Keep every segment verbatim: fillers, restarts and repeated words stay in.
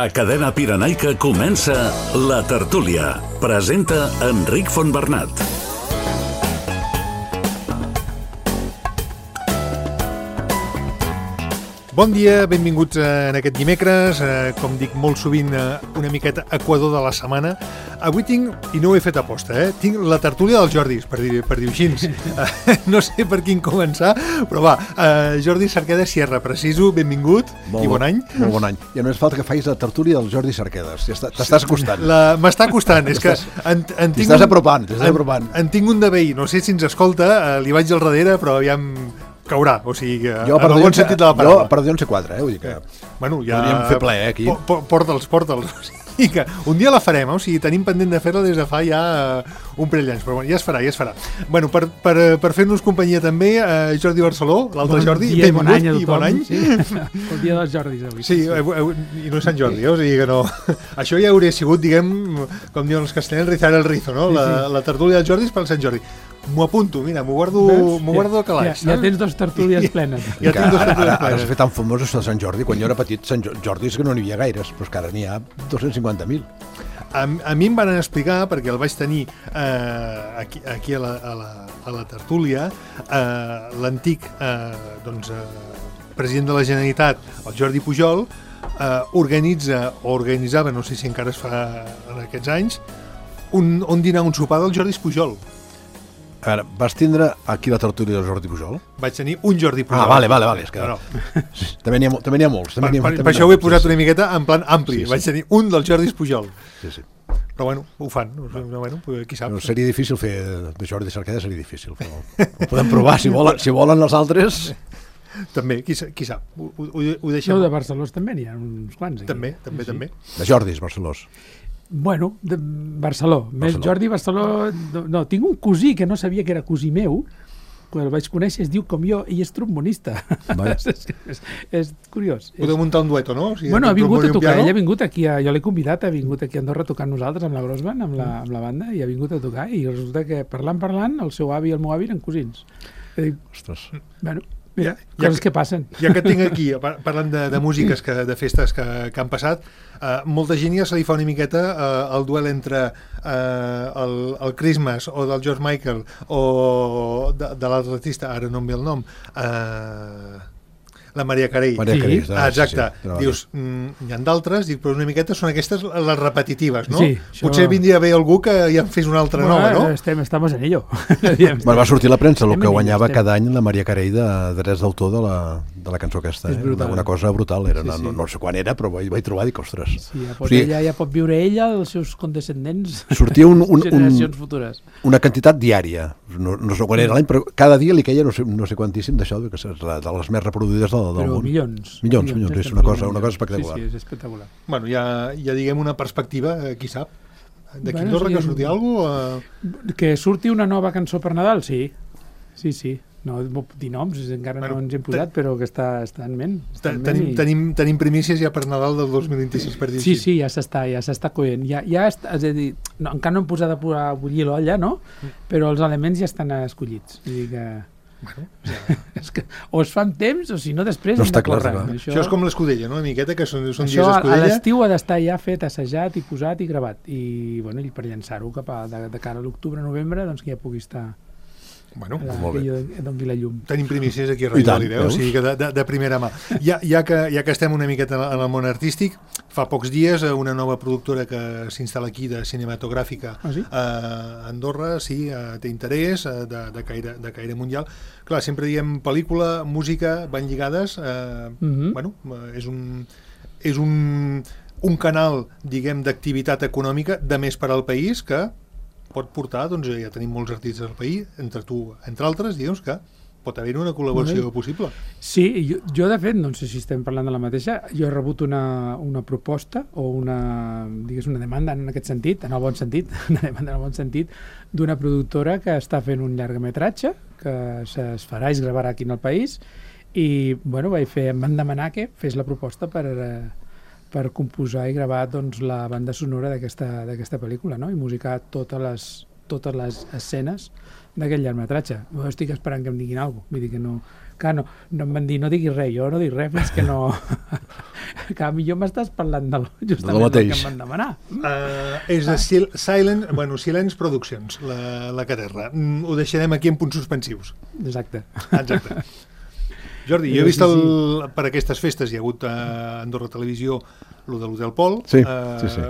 A Cadena Pirenaica comença La Tertúlia. Presenta Enric Fontbernat. Bon dia, benvinguts en aquest dimecres, eh, com dic molt sovint, eh, una miqueta equador de la setmana. Avui tinc, i no ho he fet aposta, eh, tinc la tertúlia dels Jordis, per dir, per dir així. Eh, no sé per quin començar, però va, eh, Jordi Cerqueda Sierra, preciso, benvingut molt i bon any. Molt bon any. I només falta que facis la tertúlia del Jordi Cerquedes. Ja t'estàs acostant. La, m'està costant, és que... En, en t'hi estàs apropant, t'hi estàs apropant. En, en tinc un de veí, no sé si ens escolta, eh, li vaig al darrere, però aviam... caurà, o sigui, jo, en el bon sentit de la paraula. Jo per dir on sé quatre, eh? Vull dir que bueno, ja podríem fer ple, eh, aquí. Po, porta'ls, porta'ls. O sigui que un dia la farem, eh? O sigui, tenim pendent de fer-la des de fa ja un parell d'anys, però bueno, ja es farà, ja es farà. Bueno, per, per, per fer-nos companyia també, eh, Jordi Barceló, l'altre bon Jordi, dia, bon any, i bon any. Sí. El dia dels Jordis avui. Sí, i no és Sant Jordi, eh? O sigui que no... Això ja hauria sigut, diguem, com diuen els castellans, rizar el rizo, no? La, sí, sí. La tertúlia dels Jordis pel Sant Jordi. M'ho apunto, mira, m'ho guardo, m'ho guardo al calaix. Ja, ja tens dos tertúlies plenes. Ja, ja tinc dos tertúlies plenes. Ara s'ha fet tan famós això de Sant Jordi. Quan jo era petit, Sant Jordi és que no n'hi havia gaires, però és que ara n'hi ha dos-cents cinquanta mil. A, a mi em van explicar, perquè el vaig tenir eh, aquí, aquí a, la, a, la, a la tertúlia, eh, l'antic eh, doncs, eh, president de la Generalitat, el Jordi Pujol, eh, organitza, o organitzava, no sé si encara es fa en aquests anys, un, un dinar, un sopar del Jordi Pujol. A veure, vas tindre aquí la tertúlia del Jordi Pujol? Vaig tenir un Jordi Pujol. Ah, vale, vale, vale. És que... no, no. També n'hi ha, també n'hi ha molts. També per, ha, per, també per això ho he posat una miqueta en plan ampli. Sí, sí. Vaig tenir un del Jordi Pujol. Sí, sí. Però bueno, ho fan. Bueno, qui sap. No, seria difícil fer de Jordi Cerqueda, seria difícil. Però ho podem provar, si volen, si volen els altres... També, qui, qui sap. Ho, ho, ho deixem. No, de Barceló també n'hi ha uns quants. Aquí. També, també, sí, també. De Jordis, Barcelós. Bueno, de Barceló. Més Barceló. Jordi Barceló... No, no, tinc un cosí que no sabia que era cosí meu, quan el vaig conèixer es diu com jo i és trombonista. és, és, és curiós. Podeu muntar un dueto, no? O sigui, bueno, ha vingut a tocar, ell ha vingut aquí, a, jo l'he convidat, ha vingut aquí a Andorra a tocar amb nosaltres, amb la Grossband, amb la, amb la banda, i ha vingut a tocar, i resulta que parlant, parlant, el seu avi i el meu avi eren cosins. I dic, ostres. Bueno, mira, ja, coses ja que passen. Ja que tinc aquí, parlant de, de músiques, que, de festes que, que han passat, uh, molta gent ja se li fa una miqueta uh, el duel entre uh, el, el Christmas o del George Michael o de, de l'altre artista, ara no em ve el nom, uh, la Maria Carey. Maria Carey, sí. Ah, exacte. Sí, sí. Dius, mm, hi ha d'altres, dic, però una miqueta són aquestes les repetitives, no? Sí, això... Potser vindria bé algú que ja en fes una altra bueno, nova, no? Estem, estamos en ello. Bueno, va sortir a la premsa el que guanyava estem. cada any la Maria Carey de drets d'autor de, la, de la cançó aquesta. Eh? Una cosa brutal. Era, sí, sí. No, no sé quan era, però vaig, vaig trobar i dic, ostres. Sí, ja pot, o sigui, ella, ja pot viure ella, els seus condescendents, sortia un, un, generacions un, futures. Una quantitat diària. No, no sé quan era l'any, però cada dia li queia no sé, no sé quantíssim d'això, que és de les més reproduïdes del, del però món. milions. Milions, milions, milions, és una cosa, una cosa espectacular. Sí, sí, és espectacular. Bueno, ja, ja diguem una perspectiva, eh, qui sap. D'aquí bueno, Andorra sí, que surti alguna cosa? Eh... Que surti una nova cançó per Nadal, sí. Sí, sí. No dir noms, encara bueno, no ens hem posat, però que està, està en ment. Està en tenim, ment i... tenim, tenim primícies ja per Nadal del dos mil vint-i-sis, per dir sí, així. Sí, ja s'està ja s'està coent. Ja, ja està, és a dir, no, encara no hem posat a, a bullir l'olla, no? Però els elements ja estan escollits. Vull dir que... Bueno, ja. És que o es fa amb temps o si no després no hem de córrer. Clar, això... això és com l'escudella, no? Una miqueta que són, són això dies escudella. A l'estiu ha d'estar ja fet, assajat i posat i gravat i, bueno, i per llançar-ho cap a de, de cara a l'octubre-novembre doncs que ja pugui estar bueno, la, molt bé. que doni la llum. Tenim primícies aquí a Ràdio Galileu, o sigui que de, de, de primera mà. Ja, ja, que, ja que estem una miqueta en el món artístic, fa pocs dies una nova productora que s'instal·la aquí de cinematogràfica ah, sí? a Andorra, sí, té interès de, de, caire, de caire mundial. Clar, sempre diem pel·lícula, música, van lligades, eh, mm-hmm. bueno, és un... és un, un canal, diguem, d'activitat econòmica de més per al país que pot portar, doncs ja tenim molts artistes al país, entre tu, entre altres, digues que pot haver una col·laboració bueno, possible. Sí, jo, jo de fet, no sé si estem parlant de la mateixa, jo he rebut una, una proposta o una, digues, una demanda en aquest sentit, en el bon sentit, una demanda en el bon sentit, d'una productora que està fent un llargmetratge que es farà i es gravarà aquí en el país i, bueno, vaig fer, em van demanar que fes la proposta per... Eh, per composar i gravar doncs, la banda sonora d'aquesta pel·lícula, no? I musicar totes les, totes les escenes d'aquest llargmetratge. Jo estic esperant que em diguin alguna cosa. Vull dir que no... Clar, no, no em van dir, no diguis res, jo no dic res fins que no... que millor m'estàs parlant del, justament del que em van demanar. Uh, és de Sil Silent, bueno, Silence Productions, la, la caterra. Mm, ho deixarem aquí en punts suspensius. Exacte. Exacte. Jordi, jo he vist el, per aquestes festes, hi ha hagut a Andorra Televisió el de l'Hotel Pol. Sí, uh, sí, sí.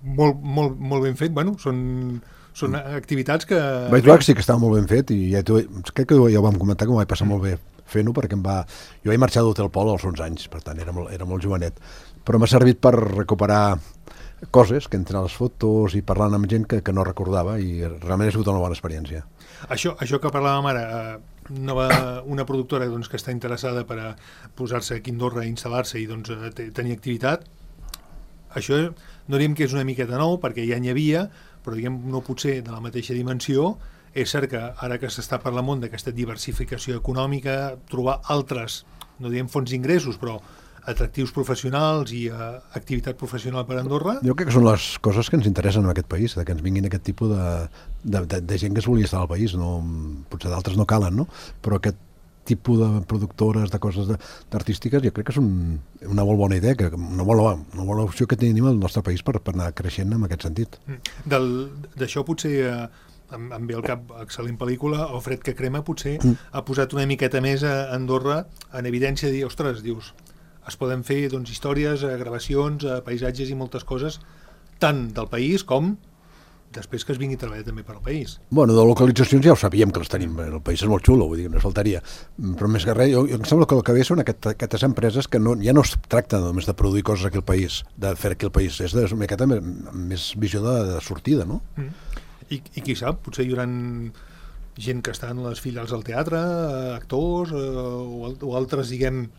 Molt, molt, molt ben fet, bueno, són... Són activitats que... Vaig veure que sí que estava molt ben fet i ja crec que ja ho vam comentar que m'ho vaig passar molt bé fent-ho perquè em va... Jo vaig marxar d'Hotel Pol als onze anys, per tant era molt, era molt jovenet, però m'ha servit per recuperar coses, que entre les fotos i parlant amb gent que, que no recordava i realment ha sigut una bona experiència. Això, això que parlàvem ara, eh, una, una productora doncs, que està interessada per a posar-se aquí a Andorra i instal·lar-se i doncs, tenir activitat, això no diríem que és una miqueta nou perquè ja n'hi havia, però diguem no potser de la mateixa dimensió. És cert que ara que s'està per la món d'aquesta diversificació econòmica, trobar altres, no diem fonts d'ingressos, però atractius professionals i uh, activitat professional per a Andorra. Jo crec que són les coses que ens interessen en aquest país, de que ens vinguin aquest tipus de, de, de, de gent que es vulgui estar al país. No, potser d'altres no calen, no? Però aquest tipus de productores, de coses artístiques, jo crec que és un, una molt bona idea, que una bona, una bona opció que tenim al nostre país per, per anar creixent en aquest sentit. D'això potser eh, em, em ve al cap excel·lent pel·lícula, El fred que crema, potser mm. ha posat una miqueta més a Andorra en evidència de dir, ostres, dius, es poden fer doncs, històries, gravacions, paisatges i moltes coses, tant del país com després que es vingui a treballar també per al país. Bueno, de localitzacions ja ho sabíem que les tenim, el país és molt xulo, vull dir que no faltaria, però més que res, jo, jo em sembla que el que ve són aquest, aquestes empreses que no, ja no es tracta només de produir coses aquí al país, de fer aquí al país, és de, una miqueta més, més visió de, de sortida, no? Mm. I, I qui sap, potser hi haurà gent que està en les filials del teatre, actors eh, o, o altres, diguem,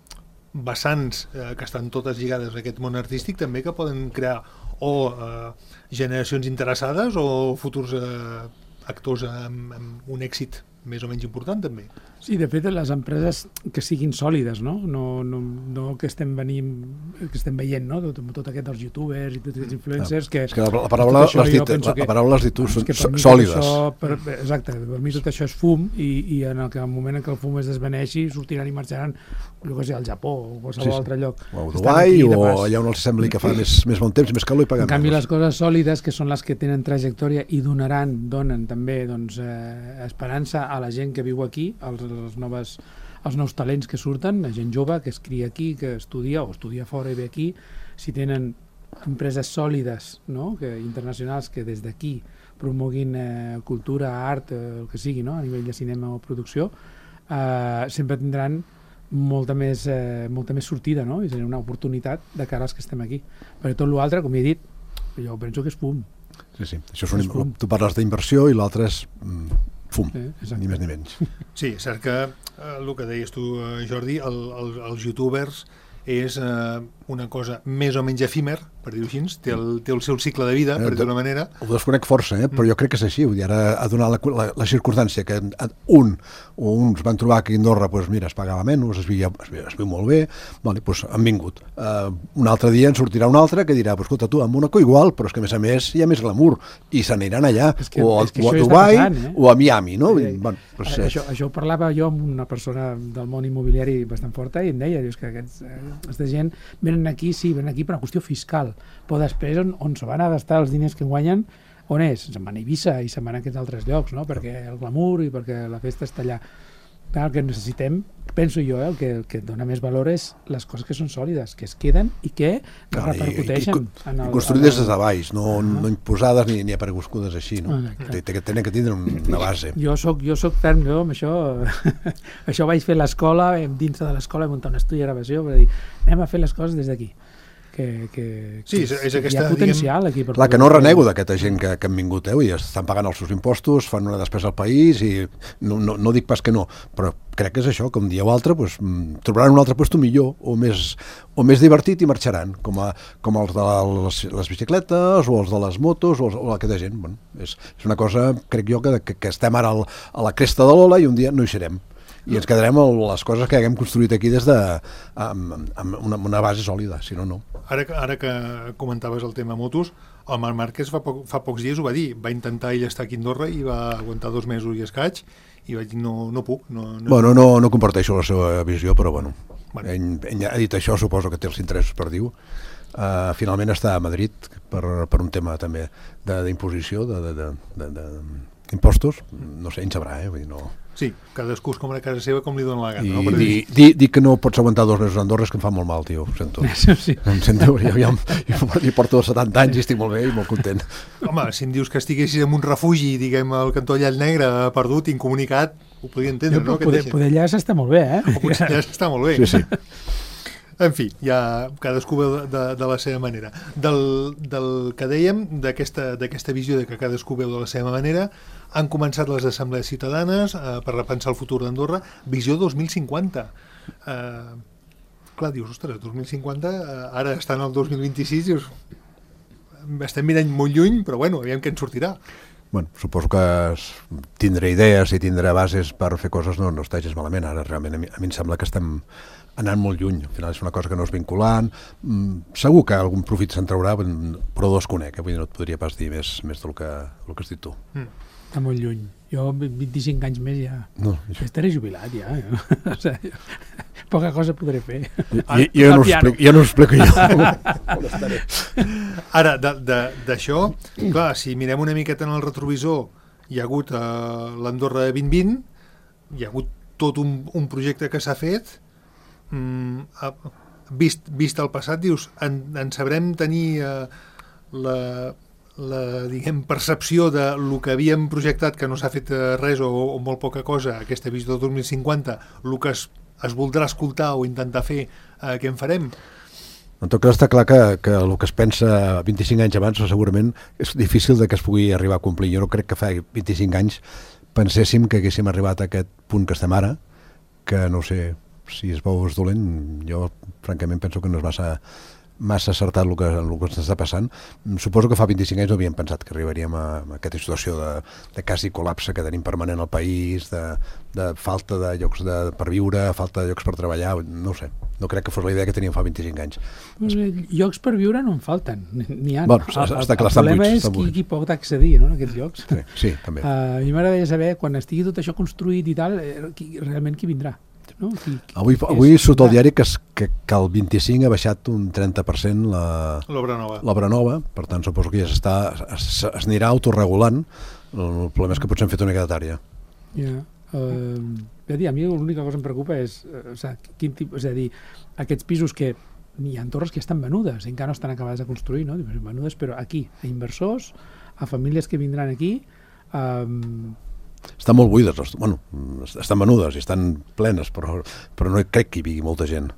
vessants eh, que estan totes lligades a aquest món artístic també que poden crear o eh, generacions interessades o futurs eh, actors amb, amb un èxit més o menys important també. Sí, de fet, les empreses que siguin sòlides, no? No, no, no que estem venint, que estem veient, no? Tot, tot aquest dels youtubers i tots aquests influencers que... És que la, la paraula l'has dit, la, la paraula l'has dit tu, són sòlides. Això, per, exacte, per mi tot això és fum i, i en el, que, en el moment en què el fum es desvaneixi sortiran i marxaran, jo què sé, al Japó o qualsevol sí, sí. altre lloc. O a Dubai o allà on els sembli que fa més, més bon temps, més calor i paguen. En canvi, les coses sòlides, que són les que tenen trajectòria i donaran, donen també doncs, eh, esperança a la gent que viu aquí, als, als noves els nous talents que surten, la gent jove que es cria aquí, que estudia o estudia fora i ve aquí, si tenen empreses sòlides, no? que, internacionals que des d'aquí promoguin eh, cultura, art, eh, el que sigui, no? a nivell de cinema o producció, eh, sempre tindran molta més, eh, molta més sortida, no? i serà una oportunitat de cara als que estem aquí. Perquè tot l'altre, com he dit, jo penso que és fum. Sí, sí. Això és un, és fum. Tu parles d'inversió i l'altre és... Mm, fum, sí, ni més ni menys. Sí, és cert que eh, el que deies tu, Jordi, el, el, els youtubers és eh, una cosa més o menys efímer, per dir-ho així, té el, té el seu cicle de vida, per dir-ho d'una manera. Ho desconec força, eh? però jo crec que és així. Vull dir, ara ha donat la, la, la circumstància que un o uns van trobar que a Andorra doncs, mira, es pagava menys, es viu, es viu, es viu molt bé, vale, doncs han vingut. Uh, un altre dia en sortirà un altre que dirà, pues, escolta, tu, a Mónaco igual, però és que a més a més hi ha més glamour, i se n'aniran allà, que, o, a, o a Dubai, passant, eh? o a Miami, no? Sí, bueno, pues, eh, això, això ho parlava jo amb una persona del món immobiliari bastant forta i em deia, dius que aquests, eh, aquesta gent venen aquí, sí, venen aquí per una qüestió fiscal, però després on, on se van a gastar els diners que guanyen, on és? Se'n van a Eivissa i se'n van a aquests altres llocs, no? Perquè el glamour i perquè la festa està allà. Clar, el que necessitem, penso jo, eh, el, que, el que dona més valor és les coses que són sòlides, que es queden i que no, repercuteixen. I, i, i, i construïdes des de baix, no, uh -huh. no imposades ni, ni apareguscudes així, no? Tenen que tindre una base. Jo soc, jo soc ferm, jo, amb això, això vaig fer a l'escola, dins de l'escola vam muntar un estudi de gravació per dir, anem a fer les coses des d'aquí. Que, que, sí, és, és aquesta, hi ha potencial diguem, aquí per clar, que no renego d'aquesta gent que, que han vingut, eh? I estan pagant els seus impostos, fan una despesa al país i no, no, no dic pas que no, però crec que és això, que un dia o altre pues, trobaran un altre lloc millor o més, o més divertit i marxaran, com, a, com els de les, les bicicletes o els de les motos o, els, o aquesta gent. Bueno, és, és una cosa, crec jo, que, que, que estem ara al, a la cresta de l'ola i un dia no hi serem. I ens quedarem amb les coses que haguem construït aquí des de, amb, amb una, una base sòlida, si no, no. Ara, ara que comentaves el tema motos, El Marc Márquez fa, poc, fa pocs dies ho va dir, va intentar ell estar aquí a Andorra i va aguantar dos mesos i escaig i vaig dir no, no puc. No, no... Bueno, no, no comparteixo la seva visió, però bueno, Bueno. ell, ell ha dit això, suposo que té els interessos per dir-ho. Uh, finalment està a Madrid per, per un tema també d'imposició de, de, de, de, de, impostos, no sé, ell sabrà, eh? Vull dir, no... Sí, cadascú és com a casa seva, com li dona la gana. I no? dir, dir, dir que no pots aguantar dos mesos a Andorra és que em fa molt mal, tio, ho sento. Sí. Em sento, jo, jo, jo, jo porto setanta anys i estic molt bé i molt content. Home, si em dius que estiguessis en un refugi, diguem, al cantó Llall Negre, perdut, incomunicat, ho podria entendre, jo, no? Poder, poder allà s'està molt bé, eh? O potser ja està molt bé. Sí, sí. En fi, ja cadascú veu de, de la seva manera. Del, del que dèiem, d'aquesta visió de que cadascú veu de la seva manera, han començat les assemblees ciutadanes eh, per repensar el futur d'Andorra, visió dos mil cinquanta. Eh, clar, dius, ostres, dos mil cinquanta, eh, ara estan al dos mil vint-i-sis, dius, estem mirant molt lluny, però bueno, aviam què en sortirà. Bueno, suposo que tindré idees i tindré bases per fer coses, no, no està gens malament. Ara realment a mi, a mi em sembla que estem anant molt lluny. Al final és una cosa que no és vinculant. Mm, segur que algun profit se'n traurà, però desconec, eh? Vull dir, no et podria pas dir més, més del que, del que has dit tu. Mm. Està molt lluny. Jo vint-i-cinc anys més ja... No, jo estaré jubilat ja. ja. O sigui, poca cosa podré fer. Jo, jo, no, explico, jo no ho explico jo. Ara, d'això, clar, si mirem una miqueta en el retrovisor, hi ha hagut eh, l'Andorra vint vint, hi ha hagut tot un, un projecte que s'ha fet, mm, vist, vist el passat, dius, en, en sabrem tenir eh, la... la diguem, percepció de lo que havíem projectat que no s'ha fet res o, o molt poca cosa, aquesta visió del dos mil cinquanta, el que es, es voldrà escoltar o intentar fer, eh, què en farem? En tot cas està clar que, que el que es pensa vint-i-cinc anys abans segurament és difícil de que es pugui arribar a complir. Jo no crec que fa vint-i-cinc anys penséssim que haguéssim arribat a aquest punt que estem ara, que no sé si es veu és dolent, jo francament penso que no és massa massa acertat el que, el que ens està passant. Suposo que fa vint-i-cinc anys no havíem pensat que arribaríem a, a aquesta situació de, de quasi col·lapse que tenim permanent al país, de, de falta de llocs de, per viure, falta de llocs per treballar, no ho sé. No crec que fos la idea que teníem fa vint-i-cinc anys. Pues, llocs per viure no en falten, n'hi ha. Bueno, el, està clar, el problema buits, és qui, qui pot accedir, no, en aquests llocs. Sí, sí, també. Uh, a mi m'agradaria saber, quan estigui tot això construït i tal, eh, qui, realment qui vindrà. No? Qui, qui, avui avui surt al diari que, es, que, que el vint-i-cinc ha baixat un trenta per cent l'obra nova. L'obra nova, per tant suposo que ja s'està, es, es anirà autorregulant. El problema és que potser hem fet una mica de tària. Ja, uh, a dir, a mi l'única cosa que em preocupa és, uh, o sigui, quin tipus, és a dir, aquests pisos que hi ha torres que estan venudes, encara no estan acabades de construir, no? Venudes, però aquí, a inversors, a famílies que vindran aquí, um, estan molt buides, bueno, estan venudes i estan plenes, però, però no crec que hi vigui molta gent.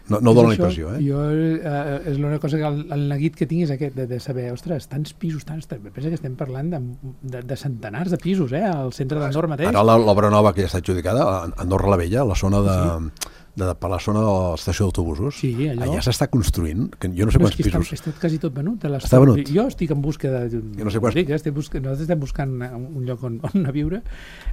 No, no dono la impressió, eh? Jo, eh, és l'única cosa que el, el neguit que tinc és aquest, de, de saber, ostres, tants pisos, tants... Pensa que estem parlant de, de, de centenars de pisos, eh, al centre d'Andorra mateix. Ara l'obra nova que ja està adjudicada, Andorra la Vella, la zona de... Sí. De, per la zona de l'estació d'autobusos, sí, allò... allà s'està construint, que jo no sé quants és pisos... Està, està quasi tot venut. Està venut? Jo estic en busca de... Jo no sé quants... Dic, eh, estic buscant, nosaltres estem buscant un lloc on, on a viure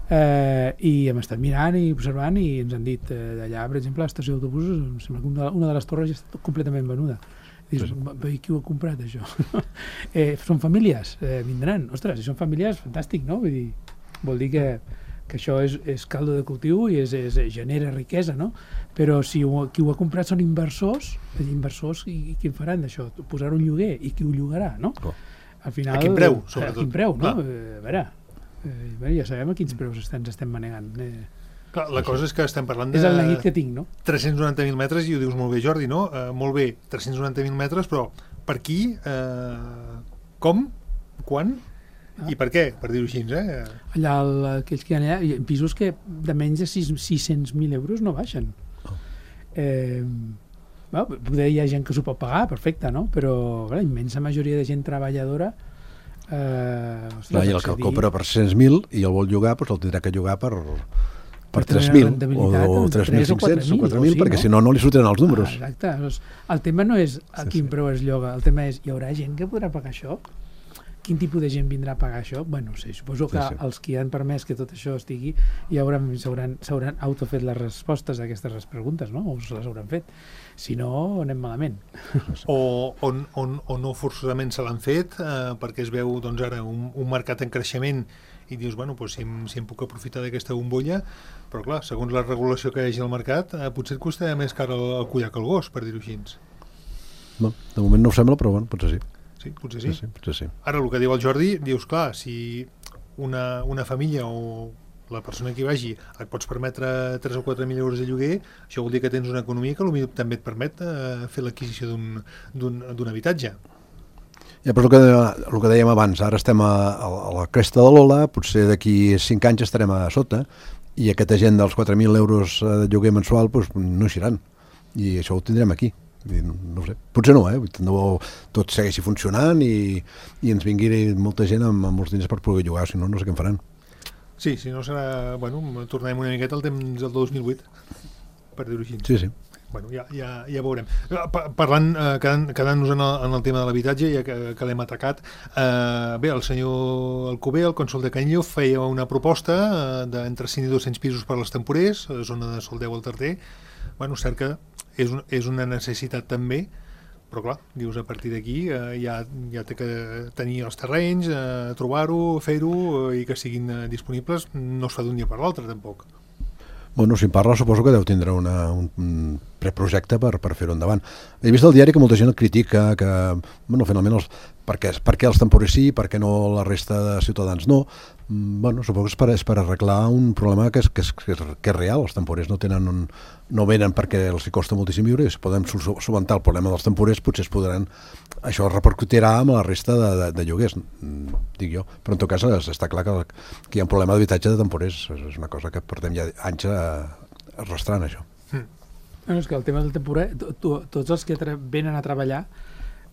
eh, i hem estat mirant i observant i ens han dit eh, d'allà, per exemple, l'estació d'autobusos, em sembla que una, una de les torres ja està completament venuda. Dius, sí. Qui ho ha comprat, això? eh, són famílies, eh, vindran. Ostres, si són famílies, fantàstic, no? Vull dir, vol dir que... que això és, és caldo de cultiu i és, és, genera riquesa, no? Però si ho, qui ho ha comprat són inversors, inversors i, i qui en faran d'això? Posar-ho en lloguer i qui ho llogarà, no? Oh. Al final, a quin preu, sobretot? A quin preu, no? Eh, a veure, eh, ja sabem a quins preus estem, ens estem manegant. Eh. Clar, la cosa és que estem parlant de... És el neguit que tinc, no? tres-cents noranta mil metres, i ho dius molt bé, Jordi, no? Uh, molt bé, tres-cents noranta mil metres, però per qui, uh, com, quan... Ah. I per què? Per dir-ho així, eh? Allà, el, aquells que hi ha allà, pisos que de menys de sis-cents mil euros no baixen. Oh. Eh, bueno, poder hi ha gent que s'ho pot pagar, perfecte, no? Però la immensa majoria de gent treballadora... Eh, ostres, clar, i el que el compra per sis-cents mil i el vol llogar, doncs el tindrà que llogar per... per tres mil o, o tres mil cinc-cents o quatre mil, perquè si no, no li sortiran els números. Ah, exacte. El tema no és a quin preu es lloga, el tema és, hi haurà gent que podrà pagar això? quin tipus de gent vindrà a pagar això? Bueno, no sé, suposo que sí, sí. els que han permès que tot això estigui ja s'hauran autofet les respostes a aquestes preguntes, no? O se les hauran fet. Si no, anem malament. O, o, o, o no forçosament se l'han fet eh, perquè es veu doncs, ara un, un mercat en creixement i dius, bueno, doncs, si, em, si em puc aprofitar d'aquesta bombolla, però clar, segons la regulació que hi hagi al mercat, eh, potser et costarà més car el, el collar que el gos, per dir-ho així. No, de moment no ho sembla, però bueno, potser sí. Sí, potser sí. Potser sí, potser sí. Ara, el que diu el Jordi, dius, clar, si una, una família o la persona que hi vagi et pots permetre tres o quatre mil euros de lloguer, això vol dir que tens una economia que potser també et permet eh, fer l'adquisició d'un habitatge. Ja, però el que, el que dèiem abans, ara estem a, a la cresta de l'ola, potser d'aquí cinc anys estarem a sota, i aquesta gent dels quatre mil euros de lloguer mensual doncs, no eixiran, i això ho tindrem aquí. I no, no sé. Potser no, eh? No, tot segueixi funcionant i, i ens vingui molta gent amb, amb molts diners per poder llogar, si no, no sé què en faran. Sí, si no serà... Bueno, tornarem una miqueta al temps del dos mil vuit, per dir-ho així. Sí, sí. Bueno, ja, ja, ja veurem. Parlant, eh, quedant, quedant-nos en, el, en el tema de l'habitatge, ja que, que l'hem atacat, eh, bé, el senyor Alcover, el cònsol de Canillo, feia una proposta eh, d'entre cent i dos-cents pisos per als temporers, a la zona de Soldeu al Tarter. Bueno, cert que és, un, és una necessitat també, però clar, dius, a partir d'aquí eh, ja, ja té que tenir els terrenys, eh, trobar-ho, fer-ho eh, i que siguin eh, disponibles, no es fa d'un dia per l'altre tampoc. Bueno, si en parla suposo que deu tindre una, un, un preprojecte per, per fer-ho endavant. He vist al diari que molta gent el critica, que, bueno, finalment, els, per, què, per què els temporers sí, per què no la resta de ciutadans no? Bueno, suposo que és per, és per arreglar un problema que és, que és, que és, que és real. Els temporers no tenen un, no venen perquè els hi costa moltíssim viure, i si podem solventar el problema dels temporers, potser es podran... Això repercutirà amb la resta de, de, de lloguers, dic jo. Però en tot cas està clar que, que hi ha un problema d'habitatge de temporers. És una cosa que portem ja anys arrastrant, això. Mm. No, és que el tema del temporer, to, to, tots els que venen a treballar,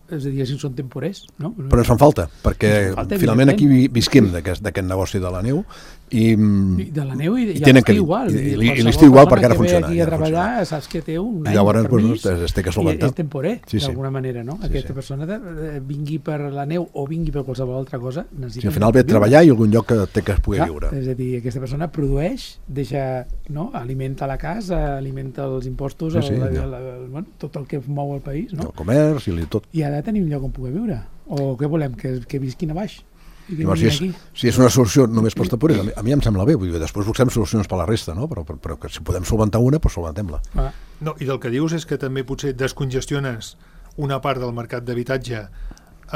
és a dir, si són temporers, no? Però ens fan falta, perquè falta, finalment aquí visquem d'aquest negoci de la neu i, I de la neu i, i, i l'estiu igual. I, i, i l'estiu igual perquè ara funciona. Aquí a treballar, funciona. Saps que té un any llavors, per pues, es, es té que solventar. És temporer, sí, d'alguna sí. manera, no? Sí, Aquesta sí. persona de, de, vingui per la neu o vingui per qualsevol altra cosa, necessita... Sí, al final ve a treballar i algun lloc que té que es pugui Clar, viure. És a dir, aquesta persona produeix, deixa, no? Alimenta la casa, alimenta els impostos, sí, sí, el, el, el, el, bueno, tot el que mou el país, no? El comerç i tot. I ha de tenir un lloc on poder viure. O què volem? Que, que visquin a baix? Llavors, si, és, si és una solució només pels temporers, a mi, a mi em sembla bé, vull dir, després busquem solucions per la resta, no? però, però, però que si podem solventar una, doncs solventem-la. Ah. No, i del que dius és que també potser descongestiones una part del mercat d'habitatge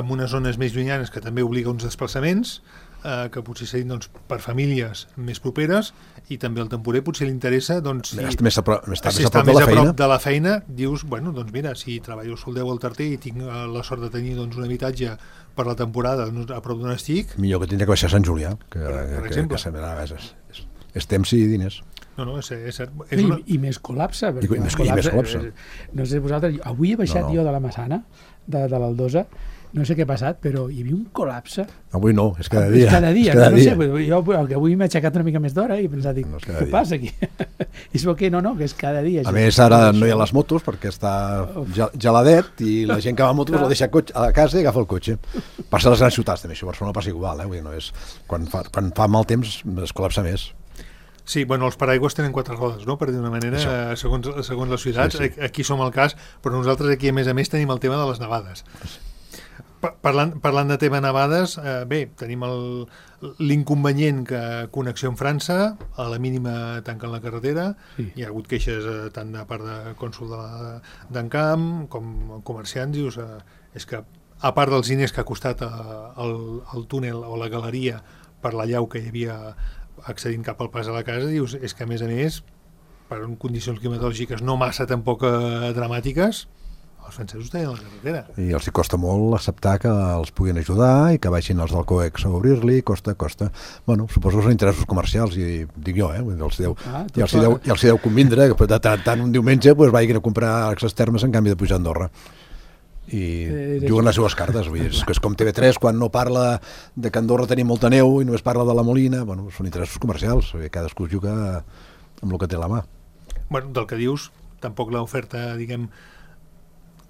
en unes zones més llunyanes que també obliga uns desplaçaments, eh, que potser serien doncs, per famílies més properes, i també el temporer potser li interessa doncs, si, més a prop, més si està més a prop de la feina, dius, bueno, doncs mira, si treballo al Soldeu al Tarter i tinc eh, la sort de tenir doncs, un habitatge per la temporada a prop d'on estic... Millor que tindria que baixar a Sant Julià, que, per, per que, exemple. que, que és, és, és temps i diners. No, no, és, és, és una... I, I més col·lapse. I, i, més, col·lapse, i més col·lapse. No sé, vosaltres, avui he baixat no, no. jo de la Massana, de, de l'Aldosa, no sé què ha passat, però hi havia un col·lapse. Avui no, és cada dia. És cada dia, és cada no dia. sé, jo avui m'he aixecat una mica més d'hora i he pensat, dic, no què dia. Passa aquí? És que no, no, que és cada dia. A més, ara no hi ha les motos perquè està geladet i la gent que va a motos la deixa a casa i agafa el cotxe. Passa a les grans ciutats també, això a Barcelona passa igual, eh? Vull dir, no és... quan, fa, quan fa mal temps es col·lapsa més. Sí, bueno, els paraigües tenen quatre rodes, no?, per dir d'una manera, eh, segons, segons les ciutats. Sí, sí. Aquí som el cas, però nosaltres aquí, a més a més, tenim el tema de les nevades. Parlant, parlant de tema nevades, eh, bé, tenim l'inconvenient que connexió amb França, a la mínima tanquen la carretera, sí. Hi ha hagut queixes eh, tant de part de cònsol d'Encamp com comerciants, dius, eh, és que a part dels diners que ha costat eh, el, el túnel o la galeria per la llau que hi havia accedint cap al pas a la casa, dius, és que a més a més, per condicions climatològiques no massa tampoc eh, dramàtiques, els francesos tenen la carretera. I els hi costa molt acceptar que els puguin ajudar i que baixin els del COEX a obrir-li, costa, costa. Bueno, suposo que són interessos comercials, i dic jo, eh? Els deu, ah, i els hi deu, i els hi deu convindre que de tant, tant un diumenge pues, vagin a comprar accés termes en canvi de pujar a Andorra. I eh, juguen les seves cartes. Vull dir, és, és com T V tres quan no parla de que a Andorra tenim molta neu i només parla de la Molina. Bueno, són interessos comercials, cadascú juga amb el que té a la mà. Bueno, del que dius, tampoc l'oferta, diguem,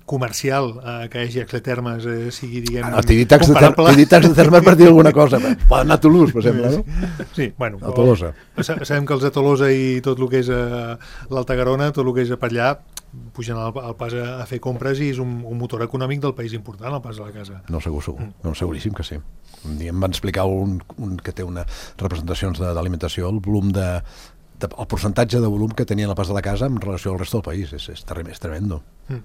comercial eh, que hi hagi Exetermes eh, sigui, diguem, ah, no, t'he dit tacs de termes per dir alguna cosa. Poden anar a Toulouse, per exemple, no? Sí, bueno. A Tolosa. Sabem que els de Tolosa i tot el que és eh, l'Alta Garona, tot el que és per allà, pugen al, al pas a, a fer compres i és un, un motor econòmic del país important, el pas a la casa. No, segur, segur. Mm. No, seguríssim que sí. Un dia em van explicar un, un que té una representacions d'alimentació, el volum de, de, el percentatge de volum que tenia la pas de la casa en relació al resto del país. És, és, trem, és tremendo. Mm.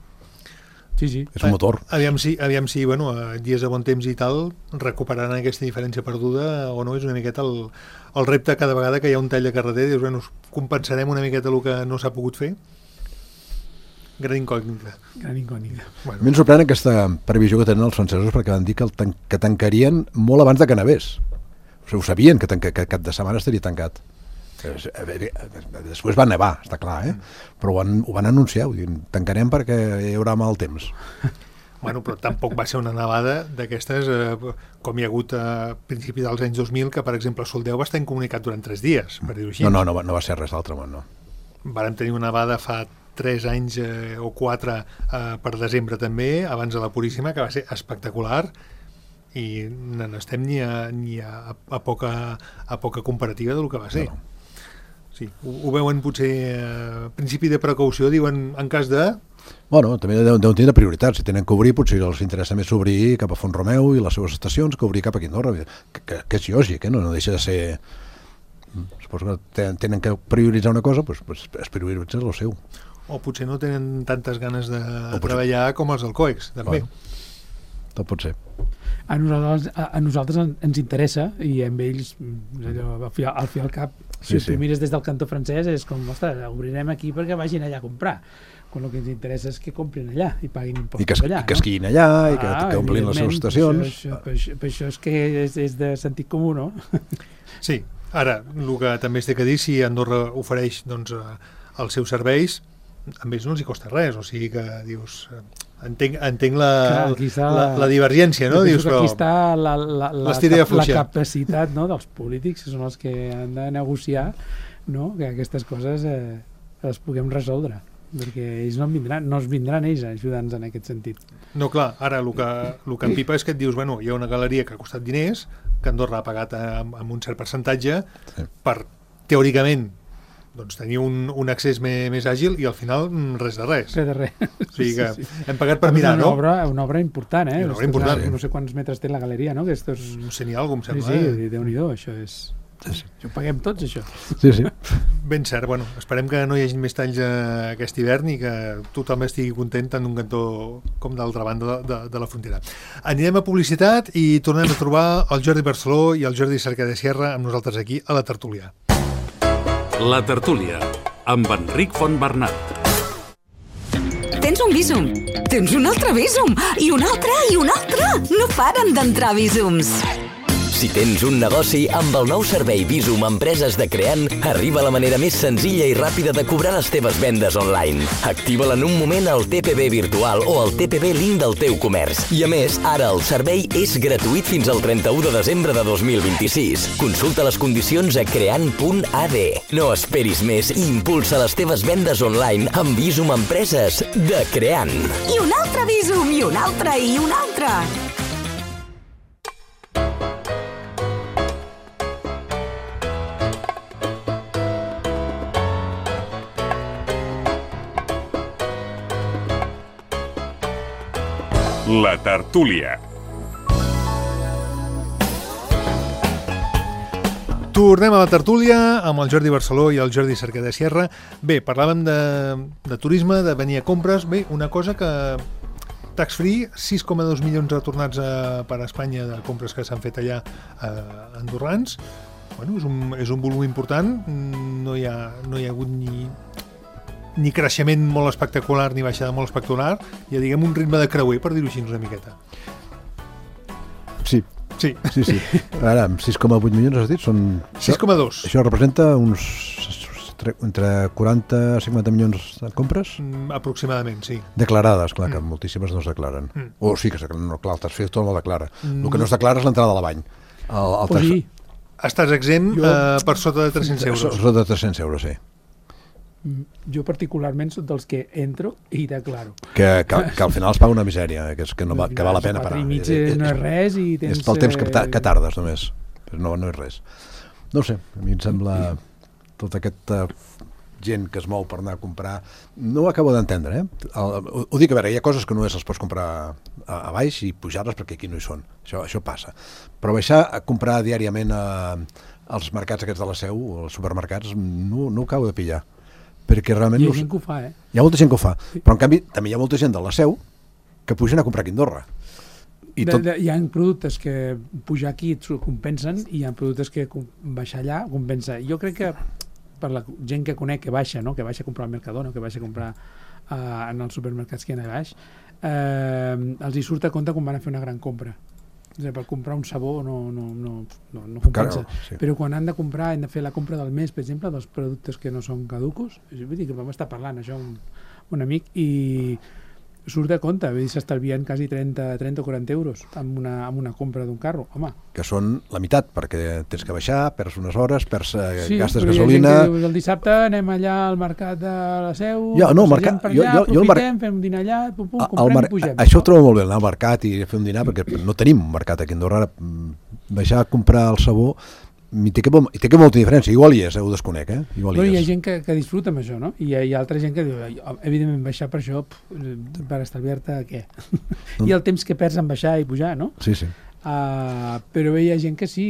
Sí, sí. És un motor. Aviam si, aviam si bueno, a dies de bon temps i tal, recuperaran aquesta diferència perduda o no, és una miqueta el, el repte cada vegada que hi ha un tall de carreter, dius, bueno, compensarem una miqueta el que no s'ha pogut fer. Gran incògnita. Gran incògnita. Bueno. A mi em sorprèn aquesta previsió que tenen els francesos perquè van dir que, el tan que tancarien molt abans de que nevés. O sigui, ho sabien que, que, que cap de setmana estaria tancat. Després va nevar, està clar, eh? Però ho van, ho van anunciar, ho diuen, tancarem perquè hi haurà mal temps. Bueno, però tampoc va ser una nevada d'aquestes, eh, com hi ha hagut a principi dels anys dos mil, que per exemple Soldeu va estar incomunicat durant tres dies, per dir-ho així. No, no, no, va, no va ser res d'altre món, no. Vàrem tenir una nevada fa tres anys eh, o quatre eh, per desembre també, abans de la Puríssima, que va ser espectacular, i no estem ni a, ni a, a, poca, a poca comparativa del que va ser. No. Sí, ho, ho veuen potser a eh, principi de precaució, diuen en cas de... Bueno, també deuen, deuen tenir prioritats. Si tenen que obrir, potser els interessa més obrir cap a Font-romeu i les seves estacions que obrir cap a Quindorra, que, que, que és lògic, eh? no, no deixa de ser... Suposo que tenen que prioritzar una cosa, doncs, pues, es prioritza el seu. O potser no tenen tantes ganes de treballar com els del COEX, també. Bueno, tot pot ser. A nosaltres, a, a nosaltres ens interessa, i amb ells, allò, al fi al, fi al cap, si sí, tu sí. mires des del cantó francès, és com, ostres, obrirem aquí perquè vagin allà a comprar. Quan el que ens interessa és que comprin allà i paguin impostos I que, allà. I que esquiïn allà, ah, i que, que omplin les seves estacions. Per això, per això, per això és que és, és de sentit comú, no? Sí. Ara, el que també es té que dir, si Andorra ofereix doncs, els seus serveis, a ells no els hi costa res, o sigui que dius... Entenc, entenc la, Clar, la, la divergència, no? Dius, però aquí està la, la, la, la, la capacitat, no, dels polítics, que són els que han de negociar, no? Que aquestes coses eh, les puguem resoldre, perquè ells no en vindran, no es vindran ells a ajudar-nos en aquest sentit. No, clar, ara el que, el que empipa és que et dius, bueno, hi ha una galeria que ha costat diners, que Andorra ha pagat amb, amb un cert percentatge sí. per, teòricament, doncs tenir un, un accés més, més àgil i al final res de res. Res de res. O sigui que sí, sí. hem pagat per mirar, una no? Obra, una obra important, eh? Una obra important. No sé quants metres té la galeria, no? Que estos... No sé ni alguna cosa, em sembla. Sí, sí, Déu-n'hi-do, això és... Sí, sí. Ho paguem tots, això. Sí, sí. Ben cert, bueno, esperem que no hi hagi més talls aquest hivern i que tothom estigui content tant d'un cantó com d'altra banda de, de, de la frontera. Anirem a publicitat i tornem a trobar el Jordi Barceló i el Jordi Cercada Sierra amb nosaltres aquí a la tertúlia. La tertúlia amb Enric Fontbernat. Tens un Bizum, tens un altre Bizum, i un altre, i un altre. No paren d'entrar Bizums. Si tens un negoci, amb el nou servei Bizum Empreses de Creant, arriba la manera més senzilla i ràpida de cobrar les teves vendes online. Activa-la en un moment al T P B virtual o al T P B link del teu comerç. I a més, ara el servei és gratuït fins al trenta-u de desembre de dos mil vint-i-sis. Consulta les condicions a creant punt a d. No esperis més i impulsa les teves vendes online amb Bizum Empreses de Creant. I un altre Bizum, i un altre, i un altre. La tertúlia. Tornem a la tertúlia amb el Jordi Barceló i el Jordi Cercada Sierra. Bé, parlàvem de, de turisme, de venir a compres. Bé, una cosa que tax free, sis coma dos milions retornats a, per a Espanya de compres que s'han fet allà a andorrans. Bueno, és un, és un volum important. No hi ha, no hi ha hagut ni... ni creixement molt espectacular ni baixada molt espectacular, ja diguem un ritme de creuer, per dir-ho així una miqueta. Sí. Sí. Sí, sí. Ara, amb sis coma vuit milions has dit? Són... sis coma dos. Això representa uns entre quaranta i cinquanta milions de compres? Mm, aproximadament, sí. Declarades, clar, que mm. moltíssimes no es declaren. Mm. O sí que es declaren, no, clar, el tax-free tot no declara. Mm. El que no es declara és l'entrada de la bany. El, el tax... Estàs exempt jo... eh, per sota de tres-cents euros. Sota de tres-cents euros, sí. Jo particularment soc dels que entro i declaro. Que, que, que al final es paga una misèria, que, és, que, no va, que val la pena parar. quatre i mig no és res i tens... És pel temps que, que tardes només, però no, no és res. No ho sé, a mi em sembla tota aquesta gent que es mou per anar a comprar, no ho acabo d'entendre, eh? El, ho, ho dic, a veure, hi ha coses que només les pots comprar a, a baix i pujar-les perquè aquí no hi són, això, això passa. Però baixar a comprar diàriament a, als mercats aquests de la Seu, o als supermercats, no, no ho acabo de pillar. Perquè realment hi ha no... gent que ho fa, eh? Hi ha molta gent que ho fa, sí. Però en canvi també hi ha molta gent de la Seu que pugen a comprar aquí a Andorra. I tot... de, de, hi ha productes que pujar aquí et compensen i hi ha productes que baixar allà compensa. Jo crec que per la gent que conec que baixa, no? Que baixa a comprar al Mercadona, que baixa a comprar uh, en els supermercats que hi ha a baix, eh, els hi surt a compte quan van a fer una gran compra. És a dir, per comprar un sabó no, no, no, no, no compensa. Claro, sí. Però quan han de comprar, han de fer la compra del mes, per exemple, dels productes que no són caducos, vull dir que vam estar parlant això un, un amic i surt de compte, vull dir, s'estalvien quasi trenta o quaranta euros amb una, amb una compra d'un carro, home. Que són la meitat, perquè tens que baixar, perds unes hores, perds eh, sí, gastes gasolina. Sí, gasolina... però el dissabte anem allà al mercat de la Seu, jo, no, mercat, per allà, jo, jo, jo aprofitem, mar... fem un dinar allà, pum, pum, el, comprem mar... i pugem. Això ho trobo molt bé, anar al mercat i fer un dinar, perquè no tenim un mercat aquí a Andorra. Baixar a comprar el sabó i té, que, i té que molta diferència, igual hi és, eh, ho desconec, eh? Igual Però hi, hi ha és. gent que, que disfruta amb això, no? I hi ha, hi ha altra gent que diu, evidentment, baixar per això, pf, per estalviar-te què? No. I el temps que perds en baixar i pujar, no? Sí, sí. Uh, però hi ha gent que sí,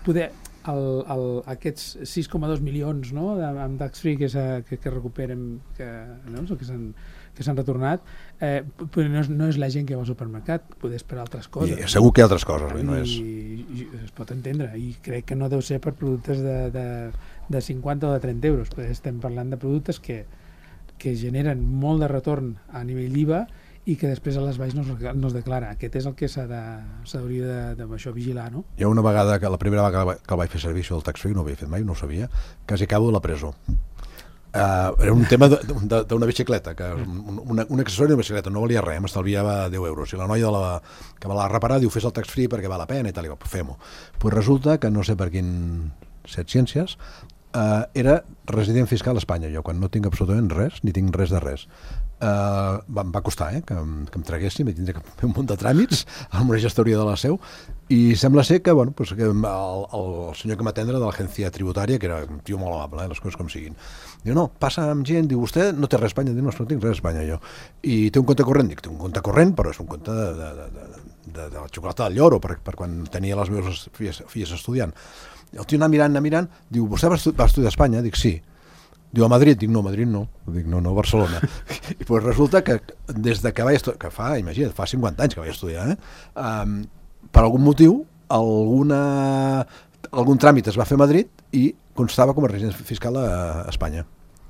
poder, el, el, aquests sis coma dos milions, no?, de, amb tax-free que, que, que recuperen, que, no? que s'han que s'han retornat, eh, però no és, no és la gent que va al supermercat, poder esperar altres coses. I segur que hi ha altres coses, no és... I, i es pot entendre, i crec que no deu ser per productes de, de, de cinquanta o de trenta euros, perquè estem parlant de productes que, que generen molt de retorn a nivell d'I V A i que després a les baix no es, no es declara. Aquest és el que s'ha de, s'hauria de, de, de això vigilar, no? Hi ha una vegada, que la primera vegada que el vaig fer servir, això del tax-free, no ho havia fet mai, no ho sabia, quasi acabo de la presó. Uh, era un tema d'una bicicleta, que un, una, un accessori de bicicleta, no valia res, m'estalviava deu euros. I la noia de la, que me l'ha reparat diu, fes el tax-free perquè val la pena i tal, i dic, fem-ho. Pues resulta que no sé per quin set ciències, uh, era resident fiscal a Espanya, jo, quan no tinc absolutament res, ni tinc res de res. Uh, em va costar, eh, que, que em traguessin, vaig tindre que fer un munt de tràmits amb una gestoria de la Seu, i sembla ser que, bueno, pues, que el, el, el senyor que m'atendre de l'agència tributària, que era un tio molt amable, eh, les coses com siguin, diu, no, passa amb gent, diu, vostè no té res a Espanya, diu, no, no tinc res a Espanya, jo, i té un compte corrent, dic, té un compte corrent, però és un compte de, de, de, de, de, de la xocolata del lloro, per, per quan tenia les meves filles, filles estudiant. El tio anar mirant, anar mirant, diu, vostè va, estu va estudiar a Espanya? Dic, sí. Diu, a Madrid? Dic, no, a Madrid no. Dic, no, no, a Barcelona. I pues resulta que des de que vaig estudiar, que fa, imagina't, fa cinquanta anys que vaig estudiar, eh? Um, per algun motiu, alguna, algun tràmit es va fer a Madrid i constava com a resident fiscal a, a Espanya.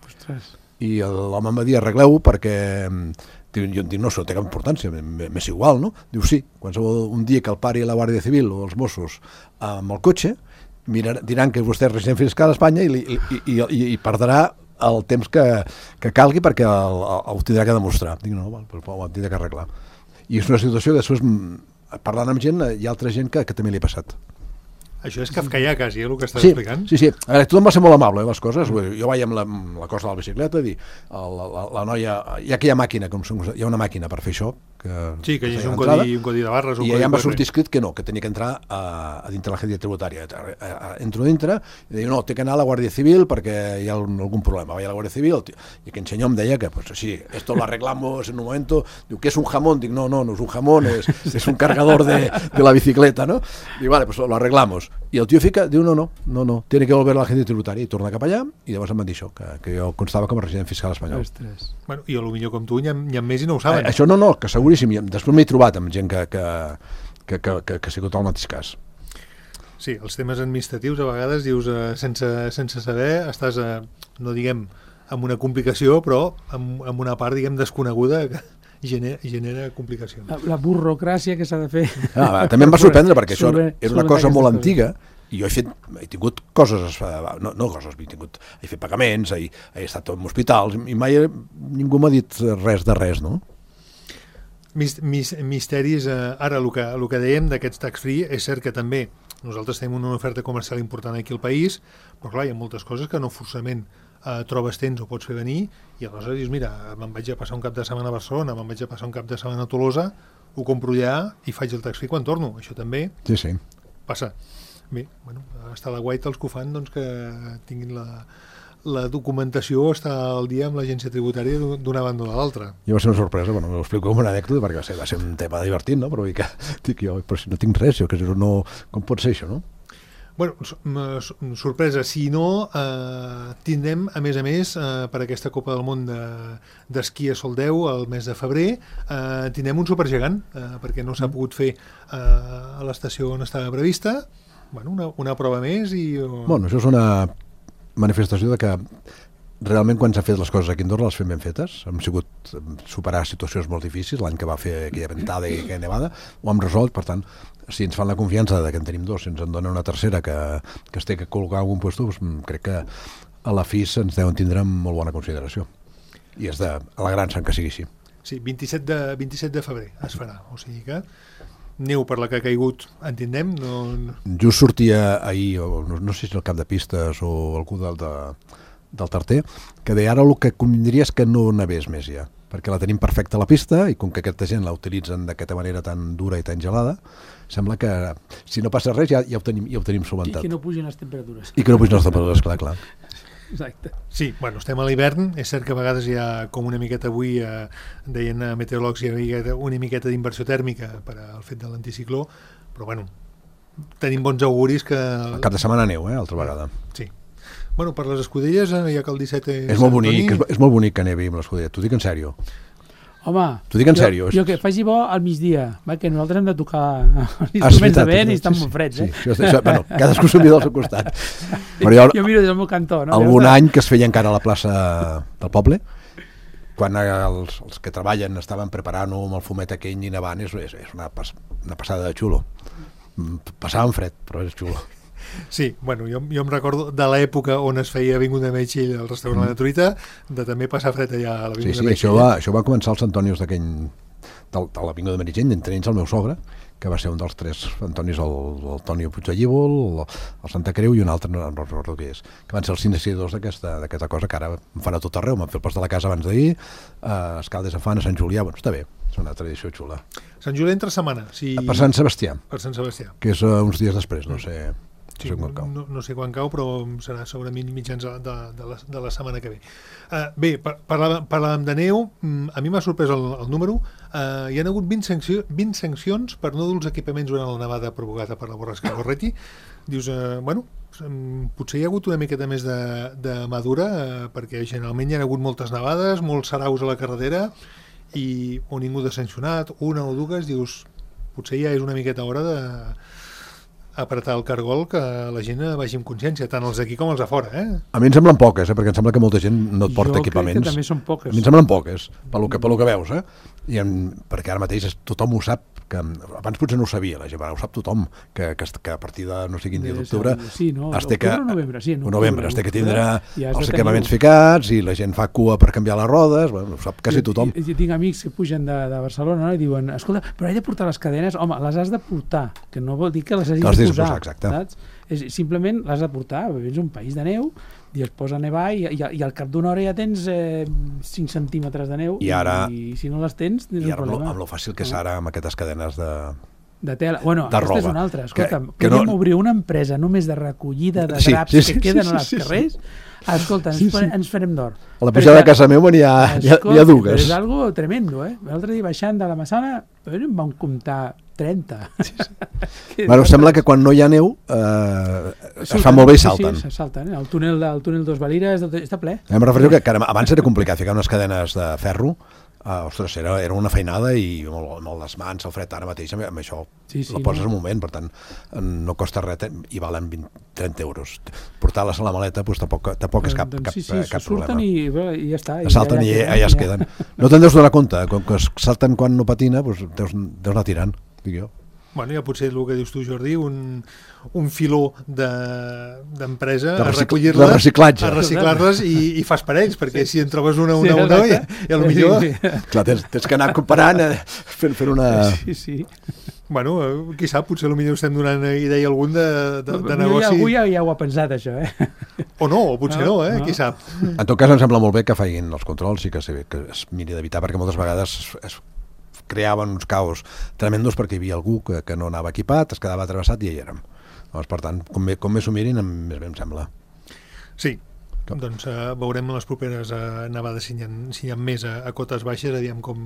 Ostres. I l'home em va dir, arregleu-ho perquè... Jo em dic, no, això no té cap importància, m'és igual, no? Diu, sí, qualsevol un dia que el pari la Guàrdia Civil o els Mossos amb el cotxe, mirar, diran que vostè és resident fiscal a Espanya i, i, i, i, i perdrà el temps que, que calgui perquè el, el, el tindrà que demostrar. Dic, no, val, però ho tindrà que arreglar. I és una situació que després, parlant amb gent, hi ha altra gent que, que també li ha passat. Això és kafkaià quasi, eh, el que estàs sí, explicant. Sí, sí. A veure, tothom va ser molt amable, eh, les coses. Jo vaig amb la, amb la cosa de la bicicleta, dir, la, la, la noia, hi ha aquella màquina, com, hi ha una màquina per fer això. Que, sí, que hi ha un entrada, codi, un codi de barres. Un I codi allà em va quatre. sortir escrit que no, que tenia que entrar a, a dintre l'agència tributària. Entro dintre i diu, no, té que anar a la Guàrdia Civil perquè hi ha algun problema. Vaig a la Guàrdia Civil i aquell senyor em deia que, pues sí, esto lo arreglamos en un momento. Diu, ¿qué es un jamón? Dic, no, no, no es un jamón, es, es un cargador de, de la bicicleta, ¿no? Dic, vale, pues lo arreglamos. I el tio fica, diu, no, no, no, no, tiene que volver a l'agència tributària i torna cap allà i llavors em van dir això, que, que jo constava com a resident fiscal espanyol. Ostres. Bueno, i potser com tu n'hi ha, ha més i no ho saben. Eh, això no, no, que seguríssim. Després m'he trobat amb gent que, que, que, que, que, que ha sigut el mateix cas. Sí, els temes administratius a vegades dius eh, sense, sense saber, estàs, eh, no diguem, amb una complicació, però amb, amb una part, diguem, desconeguda que genera, genera complicacions. La, la burocràcia que s'ha de fer. Ah, també em va sorprendre perquè això Sobre, era una cosa molt antiga i jo he fet, he tingut coses, no, no coses, he, tingut, he fet pagaments, he, he estat en hospitals i mai ningú m'ha dit res de res, no? Mis, mis, misteris, eh, ara el que, el que dèiem d'aquests tax-free és cert que també nosaltres tenim una oferta comercial important aquí al país, però clar, hi ha moltes coses que no forçament eh, trobes temps o pots fer venir, i aleshores dius, mira, me'n vaig a passar un cap de setmana a Barcelona, me'n vaig a passar un cap de setmana a Tolosa, ho compro allà i faig el tax free quan torno. Això també Sí, sí. passa. Bé, bueno, està la guaita els que ho fan, doncs que tinguin la, la documentació, està al dia amb l'agència tributària d'una banda o de l'altra. Jo va ser una sorpresa, bueno, m'ho explico com una anècdota, perquè va ser, va ser un tema divertit, no? Però, que, dic jo, però si no tinc res, jo, que no, com pot ser això, no? Bueno, sorpresa, si no, eh, tindrem, a més a més, eh, per aquesta Copa del Món d'esquí de, a Soldeu, el mes de febrer, eh, tindrem un supergegant, eh, perquè no s'ha pogut fer eh, a l'estació on estava prevista. Bueno, una, una prova més i... Bueno, això és una manifestació de que realment quan s'ha fet les coses aquí a Andorra les fem ben fetes. Hem sigut superar situacions molt difícils, l'any que va fer aquella ventada i aquella nevada, ho hem resolt, per tant, si ens fan la confiança de que en tenim dos, si ens en donen una tercera que, que es té que col·locar en algun puesto, doncs crec que a la F I S ens deuen tindre amb molt bona consideració. I és de alegrar-se que sigui així. Sí, vint-i-set de, vint-i-set de febrer es farà, o sigui que neu per la que ha caigut, entendem? No, no... Just sortia ahir, o no, no sé si el cap de pistes o algú del, de, del Tarter, que deia ara el que convindria és que no nevés més ja, perquè la tenim perfecta a la pista i com que aquesta gent la utilitzen d'aquesta manera tan dura i tan gelada, sembla que si no passa res ja, ja, ho, tenim, ja ho tenim solventat. I que no pugin les temperatures. I que no pugin les temperatures, clar, clar. Exacte. Sí, bueno, estem a l'hivern, és cert que a vegades hi ha com una miqueta avui, eh, deien a meteoròlegs, hi havia una miqueta d'inversió tèrmica per al fet de l'anticicló, però bueno, tenim bons auguris que... El cap de setmana neu, eh, altra vegada. Sí. Bueno, per les escudelles, eh, ja que el disset és... És molt bonic, és, és molt bonic que nevi amb l'escudella, t'ho dic en sèrio. Home, t'ho dic en sèrio. Jo, jo que faci bo al migdia, va, que nosaltres hem de tocar els instruments de vent i estan molt freds, eh? Sí, sí, això, bueno, cadascú s'ho mira al seu costat. Però jo, jo miro des del meu cantó, no? Algun any que es feia encara a la plaça del poble, quan els, els que treballen estaven preparant-ho amb el fumet aquell i nevant, és, és, és una, pas, una passada de xulo. Passàvem fred, però és xulo. Sí, bueno, jo, jo em recordo de l'època on es feia Avinguda Meritxell al restaurant mm. de Truita, de també passar fred allà a l'Avinguda sí, sí, Meritxell. Això va, això va començar als Antonios d'aquell, de l'Avinguda Meritxell, entre ells el meu sogre, que va ser un dels tres Antonis, el, el Toni Puigdellíbol, el, el Santa Creu i un altre, no, no recordo què és, que van ser els iniciadors d'aquesta cosa que ara em fan a tot arreu, m'han fet el pas de la casa abans d'ahir, a Escaldes en fan, a Sant Julià, bueno, està bé, és una tradició xula. Sant Julià entre setmana, sí. Per Sant Sebastià. Per Sant Sebastià. Que és uh, uns dies després, no sé... Sí, no, no, no sé quan cau, però serà segurament mitjans de, de, de, la, de la setmana que ve. Uh, bé, parlàvem, parlàvem de neu, a mi m'ha sorprès el, el número, uh, hi ha hagut vint, sanció, vint sancions per no dur els equipaments durant la nevada provocada per la borrasca Gorretti. Dius, uh, bueno, potser hi ha hagut una miqueta més de, de madura, uh, perquè generalment hi ha hagut moltes nevades, molts saraus a la carretera, i o ningú de sancionat, una o dues, dius, potser ja és una miqueta hora de... apretar el cargol que la gent vagi amb consciència, tant els d'aquí com els de fora, eh? A mi em semblen poques, eh? Perquè em sembla que molta gent no et porta jo equipaments. Jo crec que també són poques. A mi em semblen poques, pel que, pel que veus, eh? I en, perquè ara mateix tothom ho sap, que abans potser no ho sabia la gent, ara ho sap tothom, que, que, que a partir de no sé quin dia d'octubre sí, no, es té que, novembre, sí, no, novembre, es té que tindre els equipaments ficats i la gent fa cua per canviar les rodes, bueno, ho sap quasi tothom. Jo, jo tinc amics que pugen de, de Barcelona, no? I diuen, escolta, però he de portar les cadenes, home, les has de portar, que no vol dir que les hagis de posar, posar, exacte. Saps? És, simplement les has de portar, és un país de neu i es posa a nevar i, i, i al cap d'una hora ja tens eh, cinc centímetres de neu i, ara, i si no les tens tens i un ara problema. Amb lo fàcil que és ara amb aquestes cadenes de... de tela. Bueno, de aquesta roba. és una altra. Escolta, que, que podem no... obrir una empresa només de recollida de sí, draps sí, sí, sí, que queden sí, sí, als sí, carrers. Sí. Escolta, ens, sí, sí. ens farem d'or. A la pujada de casa meva n'hi ha, escolta, hi ha dues. És algo tremendo, eh? L'altre dia baixant de la Massana em van comptar trenta. Sí, sí. Bueno, sembla que quan no hi ha neu eh, es Surten, fan molt bé i salten. Sí, sí, salten. Eh? El túnel, el túnel dos Valires està ple. Em refereixo que, que abans era complicat ficar unes cadenes de ferro. Uh, ostres, era, era una feinada i molt, molt les mans, el fred ara mateix amb, amb això sí, sí, la poses no? un moment, per tant no costa res i valen vint, trenta euros. Portar-les a la maleta doncs, tampoc, tampoc és cap, doncs, cap, sí, sí, cap surten problema. I, i ja està. I salten i, i allà es queden. No te'n deus donar compte, com que salten quan no patina, doncs deus, deus anar tirant, dic jo. Bueno, ja potser el que dius tu, Jordi, un, un filó d'empresa de, de a recollir-les, de reciclatge. a reciclar-les i, i fas parells, perquè sí. Si en trobes una, una, sí, una, i, i potser... Sí, sí. Clar, tens, tens que anar comparant, eh, fent, fent una... Sí, sí. Bueno, qui sap, potser potser estem donant idea a algun de, de, de negoci. Algú ja, ja ho ha pensat, això, eh? O no, o potser no, no eh? No. Qui sap. En tot cas, em sembla molt bé que facin els controls i que, se, que es miri d'evitar, perquè moltes vegades es, es creaven uns caos tremendos perquè hi havia algú que, que no anava equipat, es quedava travessat i ja hi érem. Doncs, per tant, com, bé, com més ho mirin, més bé em sembla. Sí. Com? Doncs uh, veurem les properes uh, nevades si hi ha, si hi ha més a, a cotes baixes, aviam com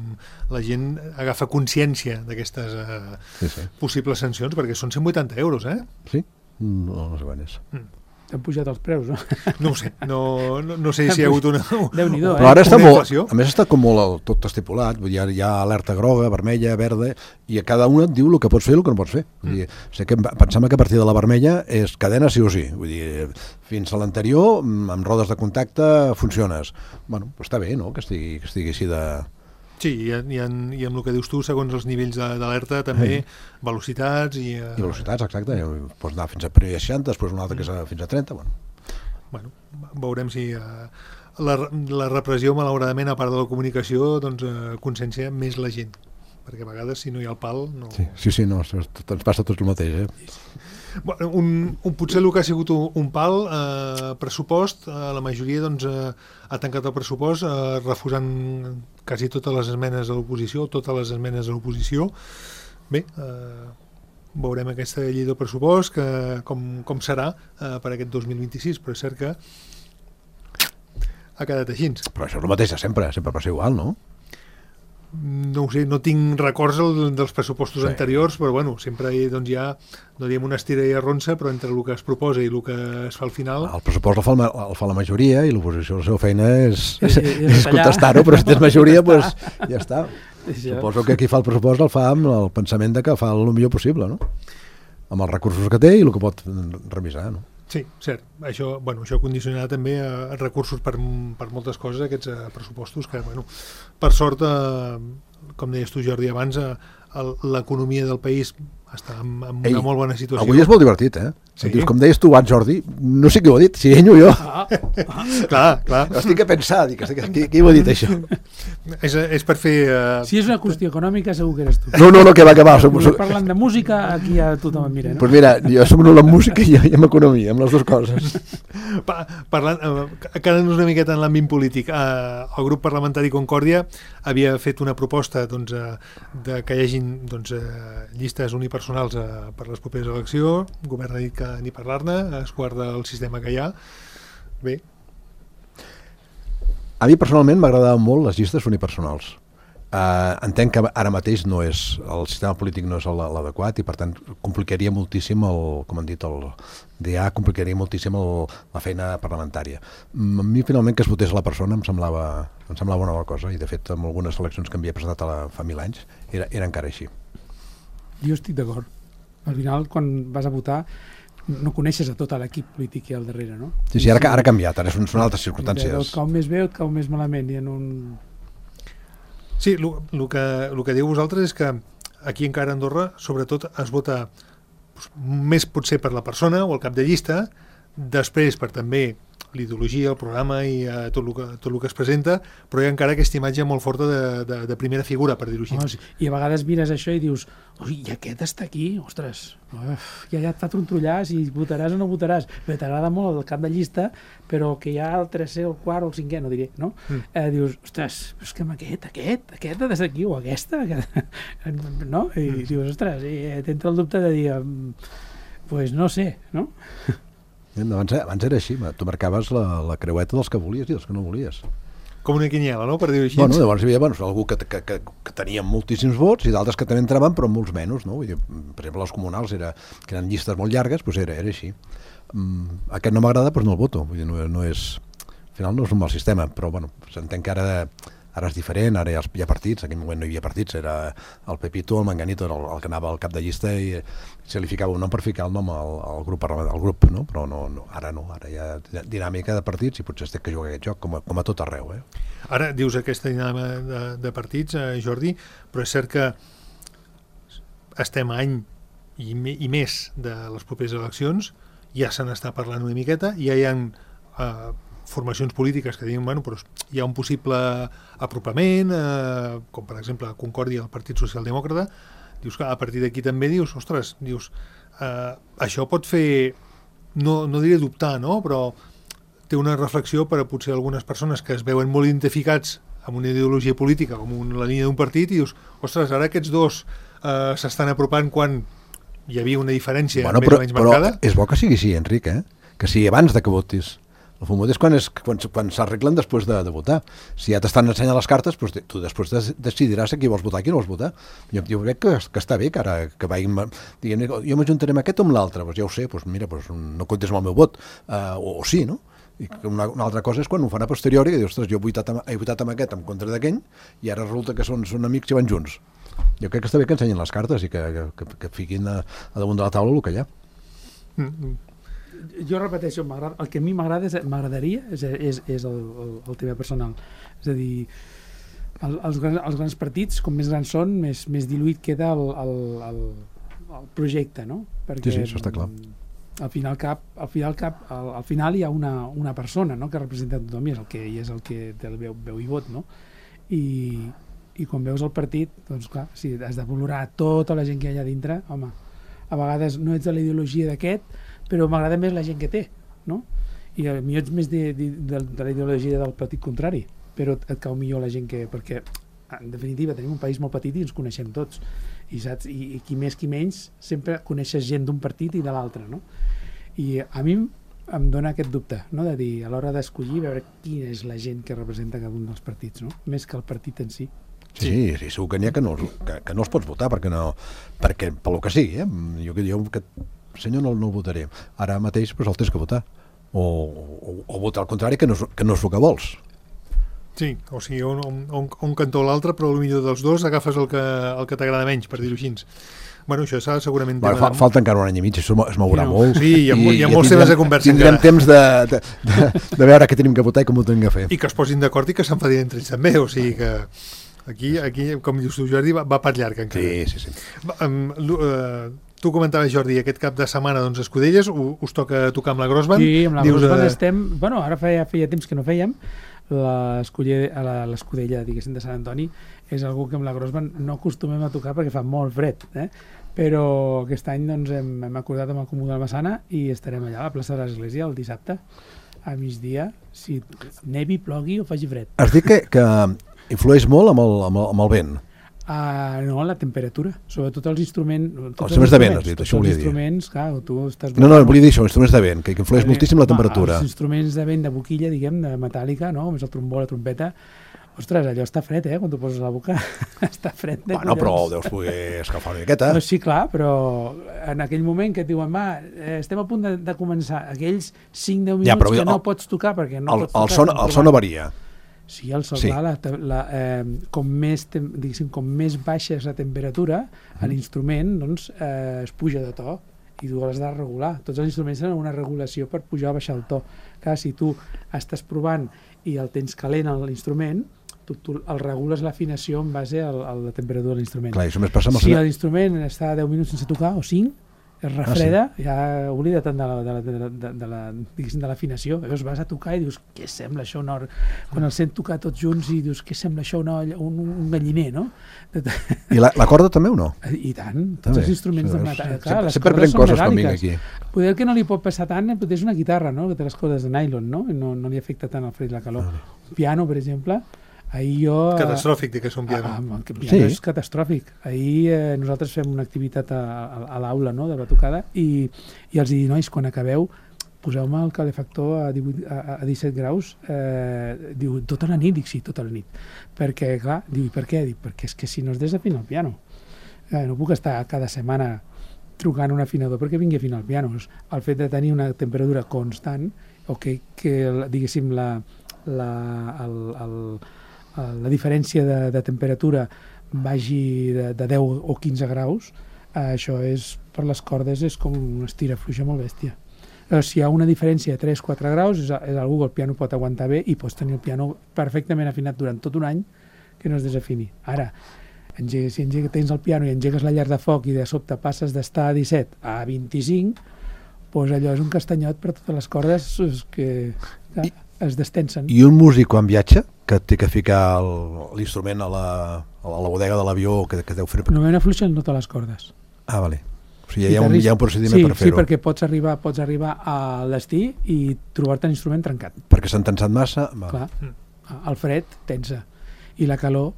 la gent agafa consciència d'aquestes uh, sí, sí. possibles sancions, perquè són cent vuitanta euros, eh? Sí? No, no sé quan és. Mm. Han pujat els preus, no? No ho sé, no, no, no sé si hi ha hagut una, Déu-n'hi-do, eh? Però ara està molt, a més està com molt tot estipulat, hi ha, hi ha alerta groga, vermella, verda, i a cada una et diu el que pots fer i el que no pots fer. Vull dir, sé que pensem que a partir de la vermella és cadena sí o sí, vull dir, fins a l'anterior, amb rodes de contacte, funciones. Bueno, doncs està bé, no?, que estigui, que estigui així de... Sí, i, i, en, i amb el que dius tu, segons els nivells d'alerta, també, sí. velocitats i... Uh... I velocitats, exacte. Pots anar fins a seixanta, després una altra que és a, fins a trenta, bueno. Bueno, veurem si uh, la, la repressió, malauradament, a part de la comunicació, doncs uh, consciencia més la gent. Perquè a vegades, si no hi ha el pal... No... Sí, sí, sí, no, ens passa tot el mateix, eh? Bueno, un, un, potser el que ha sigut un, un pal, eh, pressupost, eh, la majoria doncs, eh, ha tancat el pressupost eh, refusant quasi totes les esmenes de l'oposició, totes les esmenes de l'oposició. Bé, eh, veurem aquesta llei del pressupost, que, com, com serà eh, per aquest dos mil vint-i-sis, però és cert que ha quedat així. Però això és el mateix de sempre, sempre passa igual, no? No ho sé, no tinc records el, dels pressupostos sí. anteriors, però bueno, sempre hi, doncs, hi ha, no diem una estira i arronsa, però entre el que es proposa i el que es fa al final... El pressupost el fa, el, el fa la majoria i l'oposició, la seva feina és, és, és contestar-ho, però si tens majoria, doncs ja està. Sí, suposo que qui fa el pressupost el fa amb el pensament de que fa el millor possible, no? Amb els recursos que té i el que pot revisar, no? Sí, cert. Això, bueno, això condicionarà també a recursos per, per moltes coses, aquests uh, pressupostos, que, bueno, per sort, uh, com deies tu, Jordi, abans, uh, l'economia del país està en, en una Ei, molt bona situació. Avui és molt divertit, eh? Sí. Dius, com deies tu abans, Jordi, no sé qui ho ha dit, si ell o jo. Ah, ah. clar, clar. Estic a pensar, dic, qui, qui ho ha dit, això? és, és per fer... Uh... Si és una qüestió econòmica, segur que eres tu. No, no, no, que va, que va. Som, som... Parlant de música, aquí ja tothom em mira, no? Pues mira, jo soc en la música i, i en economia, amb les dues coses. Pa, parlant, uh, quedant-nos una miqueta en l'àmbit polític, uh, el grup parlamentari Concòrdia havia fet una proposta doncs, uh, de que hi hagin doncs, uh, llistes unipersonals uh, per les properes eleccions. El govern ha dit que ni parlar-ne, es guarda el sistema que hi ha. Bé. A mi personalment m'agradaven molt les llistes unipersonals. Uh, entenc que ara mateix no és, el sistema polític no és l'adequat i per tant complicaria moltíssim el, com han dit, el D A complicaria moltíssim el, la feina parlamentària. A mi finalment que es votés la persona em semblava, em semblava una bona cosa i de fet en algunes eleccions que havia presentat a la, fa mil anys era, era encara així. Jo estic d'acord. Al final, quan vas a votar, no coneixes a tot l'equip polític que hi ha al darrere, no? Sí, sí, ara, ara ha canviat, ara són, són altres circumstàncies. Et cau més bé o et cau més malament. I en un... Sí, el que, lo que diu vosaltres és que aquí encara a Andorra, sobretot, es vota doncs, més potser per la persona o el cap de llista, després per també l'ideologia, el programa i uh, tot, el que, tot el que es presenta, però hi ha encara aquesta imatge molt forta de, de, de primera figura, per dir-ho així. Oh, sí. I a vegades mires això i dius, ui, i aquest està aquí, ostres, uf, ja, ja et fa trontollar si votaràs o no votaràs. Però t'agrada molt el cap de llista, però que hi ha el tercer, el quart o el cinquè, no diré, no? Mm. Eh, dius, ostres, és que amb aquest, aquest, aquest ha de ser aquí, o aquesta, no? I mm. dius, ostres, i t'entra el dubte de dir, pues no sé, no? Abans, abans era així, tu marcaves la, la creueta dels que volies i dels que no volies. Com una quiniela, no?, per dir-ho així. Bueno, llavors hi havia bueno, algú que, que, que, que tenia moltíssims vots i d'altres que també entraven però molts menys, no? Vull dir, per exemple, els comunals era, que eren llistes molt llargues, doncs era, era així. Um, aquest no m'agrada, doncs no el voto. Vull dir, no, no és, al final no és un mal sistema, però bueno, s'entén que ara... Ara és diferent, ara hi ha, hi ha partits, en aquell moment no hi havia partits, era el Pepito, el Manganito, el, el que anava al cap de llista i se li ficava un nom per ficar el nom al, al, grup, al grup, no? Però no, no, ara no, ara hi ha dinàmica de partits i potser es té que jugar aquest joc, com a, com a tot arreu. Eh? Ara dius aquesta dinàmica de, de partits, eh, Jordi, però és cert que estem a any i, i més de les properes eleccions, ja se n'està parlant una miqueta, ja hi ha... Eh, formacions polítiques que diuen, bueno, però hi ha un possible apropament, eh, com per exemple Concòrdia, el Partit Socialdemòcrata, dius que a partir d'aquí també dius, ostres, dius, eh, això pot fer, no, no diré dubtar, no? Però té una reflexió per a potser algunes persones que es veuen molt identificats amb una ideologia política, com una, la línia d'un partit, i dius, ostres, ara aquests dos eh, s'estan apropant quan hi havia una diferència bueno, més però, o menys marcada. Però és bo que sigui així, Enric, eh? Que sigui abans de que votis. El fumot és quan, és, quan, quan s'arreglen després de, de votar. Si ja t'estan ensenyant les cartes, doncs tu després decidiràs a qui vols votar i qui no vols votar. Jo, jo crec que, que està bé que ara que vagin dient, jo m'ajuntaré amb aquest o amb l'altre, doncs ja ho sé, doncs mira, doncs no comptes amb el meu vot, uh, o, o sí, no? I una, una altra cosa és quan ho fan a posteriori, que dius, ostres, jo he votat amb, he votat amb aquest en contra d'aquell, i ara resulta que són, són amics i van junts. Jo crec que està bé que ensenyin les cartes i que, que, que fiquin a, a damunt de la taula el que hi ha. Mm-hmm. Jo repeteixo, el que a mi m'agrada m'agradaria és, és, és el, el, el tema personal. És a dir, el, els, grans, els grans partits, com més grans són, més, més diluït queda el, el, el, el projecte, no? Perquè, sí, sí, això està clar. Al final, cap, al, final cap, al, al final hi ha una, una persona, no?, que representa tothom i és el que, i és el que té el veu, veu i vot, no? I, i quan veus el partit, doncs clar, si has de valorar tota la gent que hi ha allà dintre, home, a vegades no ets de la ideologia d'aquest, però m'agrada més la gent que té, no? I a mi ets més de, de, de, de la ideologia del partit contrari, però et cau millor la gent que... Perquè, en definitiva, tenim un país molt petit i ens coneixem tots, i, saps? I, i qui més, qui menys, sempre coneixes gent d'un partit i de l'altre, no? I a mi em dona aquest dubte, no?, de dir, a l'hora d'escollir, veure quina és la gent que representa cada un dels partits, no?, més que el partit en si. Sí, sí, sí, segur que n'hi ha que no, que, que no els pots votar, perquè no... Perquè, pel que sigui, eh? Jo, jo que... senyor, no, no el votaré. Ara mateix pues, el tens que votar. O, o, o votar al contrari, que no, és, que no és el que vols. Sí, o sigui, un, un, un cantó o l'altre, però potser dels dos agafes el que, el que t'agrada menys, per dir-ho així. Bueno, això serà segurament... Bueno, fa, falta encara un any i mig, això es mourà sí, no. molt. Sí, hi ha, hi ha molts temes de conversa. Tindrem encara temps de, de, de, de veure què tenim que votar i com ho tenim que fer. I que es posin d'acord i que s'enfadin entre ells també, o sigui que... Aquí, aquí com dius tu, Jordi, va, va per llarg encara. Sí, sí, sí. Va, um, uh, tu comentaves, Jordi, aquest cap de setmana doncs, Escudelles, us toca tocar amb la Grossband. Sí, amb la dius, Grossband uh... estem... Bueno, ara feia, feia temps que no fèiem. L'Escudella, diguéssim, de Sant Antoni és algú que amb la Grossband no acostumem a tocar perquè fa molt fred, eh? Però aquest any doncs, hem, hem acordat amb el Comú de la Massana i estarem allà a la plaça de l'Església el dissabte a migdia, si nevi, plogui o faci fred. Has dit que, que influeix molt amb el, amb el, amb el vent. Uh, no, la temperatura, sobretot els instruments... Els instruments de vent, has dit, això volia dir. Els instruments, clar, tu estàs... No, no, volia dir això, instruments de vent, que influeix eh, moltíssim la temperatura. Va, els instruments de vent de boquilla, diguem, de metàl·lica, no?, com és el trombó, la trompeta, ostres, allò està fred, eh?, quan t'ho poses a la boca, està fred. De bueno, collons. Però ho deus poder escalfar una miqueta. No, sí, clar, però en aquell moment que et diuen, va, estem a punt de, de començar, aquells cinc deu minuts ja, que no el, pots tocar, perquè no el, pots tocar... El son, el son no varia. Sí, el sol, sí. Clar, la, la, eh, com, més, diguéssim, com més baixa és la temperatura, mm. l'instrument doncs, eh, es puja de to i tu l'has de regular. Tots els instruments tenen una regulació per pujar o baixar el to. Clar, si tu estàs provant i el tens calent a l'instrument, tu, tu el regules l'afinació en base a, a la temperatura de l'instrument. Clar, això més passa amb el si l'instrument està deu minuts sense tocar, o cinc, es refreda, ah, sí. ja oblida tant de la, de la, de la, de la, de l'afinació. Llavors vas a tocar i dius, què sembla això? No? Quan els sent tocar tots junts i dius, què sembla això? No? Un, un galliner, no? I la, la corda també o no? I tant, tots també. Els instruments de metall. Clar, les sempre cordes són coses metàl·liques. aquí. Poder que no li pot passar tant és una guitarra, no?, que té les cordes de nylon, no? No, no li afecta tant el fred i la calor. Ah. Un piano, per exemple, ahir jo... Catastròfic, de que és un piano. Ah, el piano sí. és catastròfic. Ahir eh, nosaltres fem una activitat a, a, a l'aula, no?, de batucada, i, i els dic, nois, quan acabeu, poseu-me el calefactor a, divuit, a, a disset graus. Eh, diu, tota la nit? Dic, sí, tota la nit. Perquè, clar, diu, per què? Dic, perquè és que si no es desafina el piano. Eh, no puc estar cada setmana trucant un afinador perquè vingui a afinar el piano. El fet de tenir una temperatura constant, o que, que diguéssim, la, la, el, el, la diferència de, de temperatura vagi de, de deu o quinze graus, eh, això és, per les cordes és com una estirafluixa molt bèstia. Eh, si hi ha una diferència de tres o quatre graus, és, és algú que el piano pot aguantar bé i pots tenir el piano perfectament afinat durant tot un any que no es desafini. Ara, engega, si engega, tens el piano i engegues la llar de foc i de sobte passes d'estar a disset a vint-i-cinc, doncs allò és un castanyot per totes les cordes que, que es destensen. I un músic quan viatja, que té que ficar l'instrument a, la, a a la bodega de l'avió que, que deu fer... Normalment afluixen totes les cordes. Ah, vale. O sigui, hi ha, un, hi ha un procediment sí, per fer-ho. Sí, perquè pots arribar, pots arribar al destí i trobar-te l'instrument trencat. Perquè s'han tensat massa... Va. Clar, el fred tensa i la calor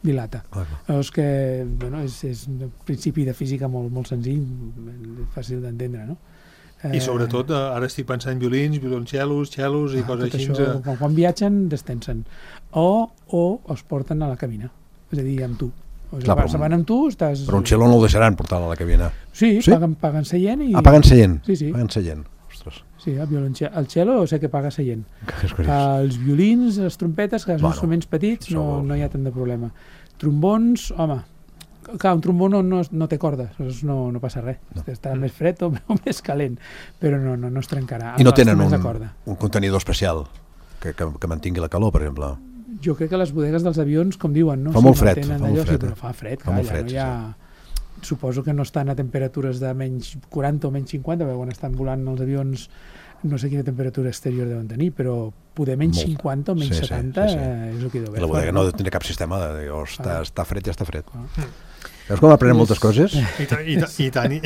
dilata. Clar. Llavors que, bueno, és, és un principi de física molt, molt senzill, fàcil d'entendre, no? I sobretot, ara estic pensant en violins, violoncellos, cellos i ah, coses així. Això, quan, quan viatgen, destensen. O, o els porten a la cabina, és a dir, amb tu. O sigui, clar, se van amb tu, estàs... Però un cello no el deixaran portar a la cabina. Sí, sí? Paguen, paguen seient i... Ah, paguen seient? Sí, sí. Paguen seient. Ostres. Sí, el, violoncello, el cello sé que paga seient. Els violins, les trompetes, que són bueno, instruments petits, no, no hi ha tant de problema. Trombons, home, clar, un trombó no, no, no té cordes, no, no passa res. No. Estarà mm. més fred o, o més calent, però no, no, no es trencarà. I no tenen un, un contenidor especial que, que, que mantingui la calor, per exemple? Jo crec que les bodegues dels avions, com diuen, no? Fa molt fred, fa molt fred. Sí, però fa fred, clar, ja, no hi ha... Suposo que no estan a temperatures de menys quaranta o menys cinquanta, perquè quan estan volant els avions no sé quina temperatura exterior deuen tenir, però poder menys molt. cinquanta o menys sí, setanta sí, sí, sí. És el que deu haver. La bodega no tindrà cap sistema de dir, oh, està, ah. està fred, ja està fred. Ah. Veus com aprenem moltes coses? I tant, i tant. I tant, i,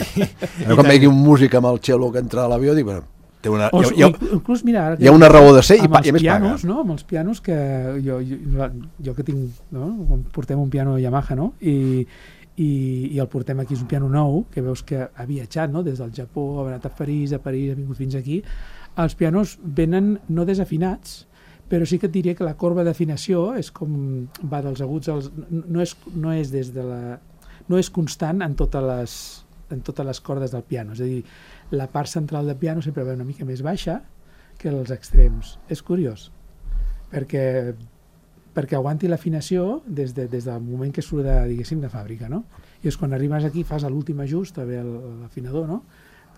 Veus com vegi un músic amb el cello que entra a l'avió, dic, bueno, té una, o, hi ha, inclús, mira, hi ha una raó de ser i, pa, i a més pianos, paga. No? Amb els pianos que jo, jo, jo que tinc, no? Portem un piano Yamaha, no? I, i, i el portem aquí, és un piano nou, que veus que ha viatjat, no? Des del Japó, ha anat a París, a París, ha vingut fins aquí. Els pianos venen no desafinats, però sí que et diria que la corba d'afinació és com va dels aguts als... No és, no és des de la... No és constant en totes les, en totes les cordes del piano, és a dir, la part central del piano sempre va una mica més baixa que els extrems. És curiós, perquè, perquè aguanti l'afinació des, de, des del moment que surt de, diguéssim, de fàbrica, no? I és quan arribes aquí, fas l'últim ajust, també l'afinador, no?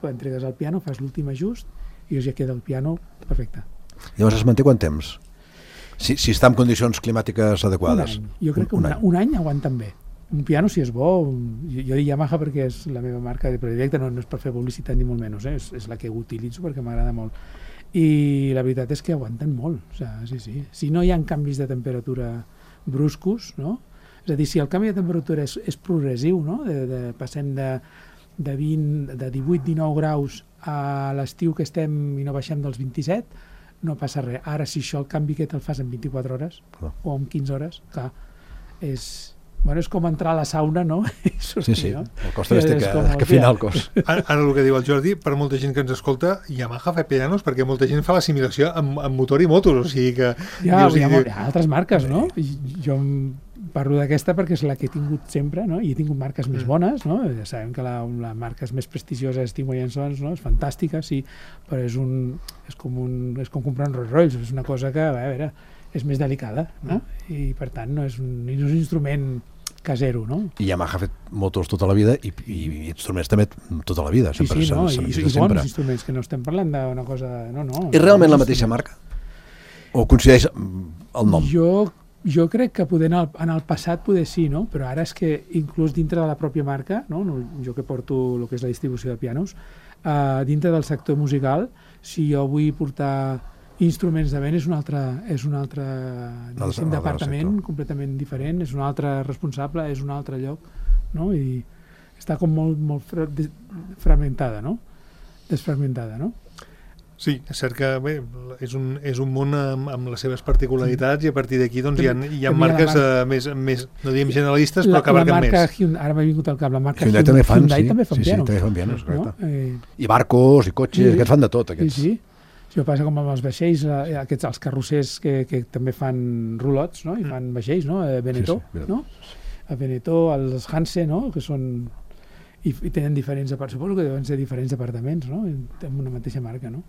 Quan entregues al piano, fas l'últim ajust i ja queda el piano perfecte. Llavors es manté quant temps? Si, si està en condicions climàtiques adequades. Un any. Jo crec que un, un, any. un any aguanten bé. Un piano, si és bo, jo, jo dic Yamaha perquè és la meva marca de predilecte, no, no és per fer publicitat ni molt menys, eh? és, és la que utilitzo perquè m'agrada molt. I la veritat és que aguanten molt, o sigui, sí, sí. Si no hi ha canvis de temperatura bruscos, no? És a dir, si el canvi de temperatura és, és progressiu, no? de, de, passem de, de, vint, de divuit dinou graus a l'estiu que estem i no baixem dels vint-i-set, no passa res. Ara, si això el canvi aquest el fas en vint-i-quatre hores clar. O en quinze hores, clar, és... Bueno, és com entrar a la sauna, no? Sortir, sí, sí, no? El cost és que, que final cost. Ara, ara el que diu el Jordi, per molta gent que ens escolta, Yamaha fa pianos perquè molta gent fa l'assimilació amb, amb motor i motos, o sigui que... Ja, dius, hi, ha, diu... hi ha altres marques, no? I jo parlo d'aquesta perquè és la que he tingut sempre, no? I he tingut marques mm. més bones, no? Ja sabem que la, la marca és més prestigiosa, Stingway and Sons, no? És fantàstica, sí, però és, un, és, com un, és com comprar un Rolls Royce, és una cosa que, a veure, és més delicada, no? Mm. I per tant no és un, no és un instrument casero, no? I Yamaha ha fet motors tota la vida i, i, i instruments també tota la vida. Sí, sempre, sí, no? I, i bons sempre. Instruments, que no estem parlant d'una cosa... No, no. És realment la mateixa marca? O coincideix el nom? Jo, jo crec que poder en el, en el passat poder sí, no? Però ara és que inclús dintre de la pròpia marca, no? Jo que porto el que és la distribució de pianos, uh, dintre del sector musical, si jo vull portar instruments de vent és un altre, és un altre diguéssim, departament completament diferent, és un altre responsable, és un altre lloc, no? I està com molt, molt fra fragmentada, no? Desfragmentada, no? Sí, és cert que bé, és, un, és un món amb, amb les seves particularitats i a partir d'aquí doncs, hi ha, hi ha marques marca, uh, més, més, no diem generalistes, però que abarquen més. Hyundai, ara m'ha vingut al cap, la marca Hyundai, Hyundai, fan, Hyundai sí, també fan sí, pianos. Sí, també fan pianos, correcte. No? Eh... I barcos, i cotxes, sí, aquests fan de tot, aquests. Sí, sí. Això passa com amb els vaixells, aquests, els carrossers que, que també fan rolots, no? I fan vaixells, no? A Benetó, sí, sí, no? A Benetó, els Hanse, no? Que són... I, i tenen diferents... Suposo que deuen ser diferents departaments, no? Amb una mateixa marca, no?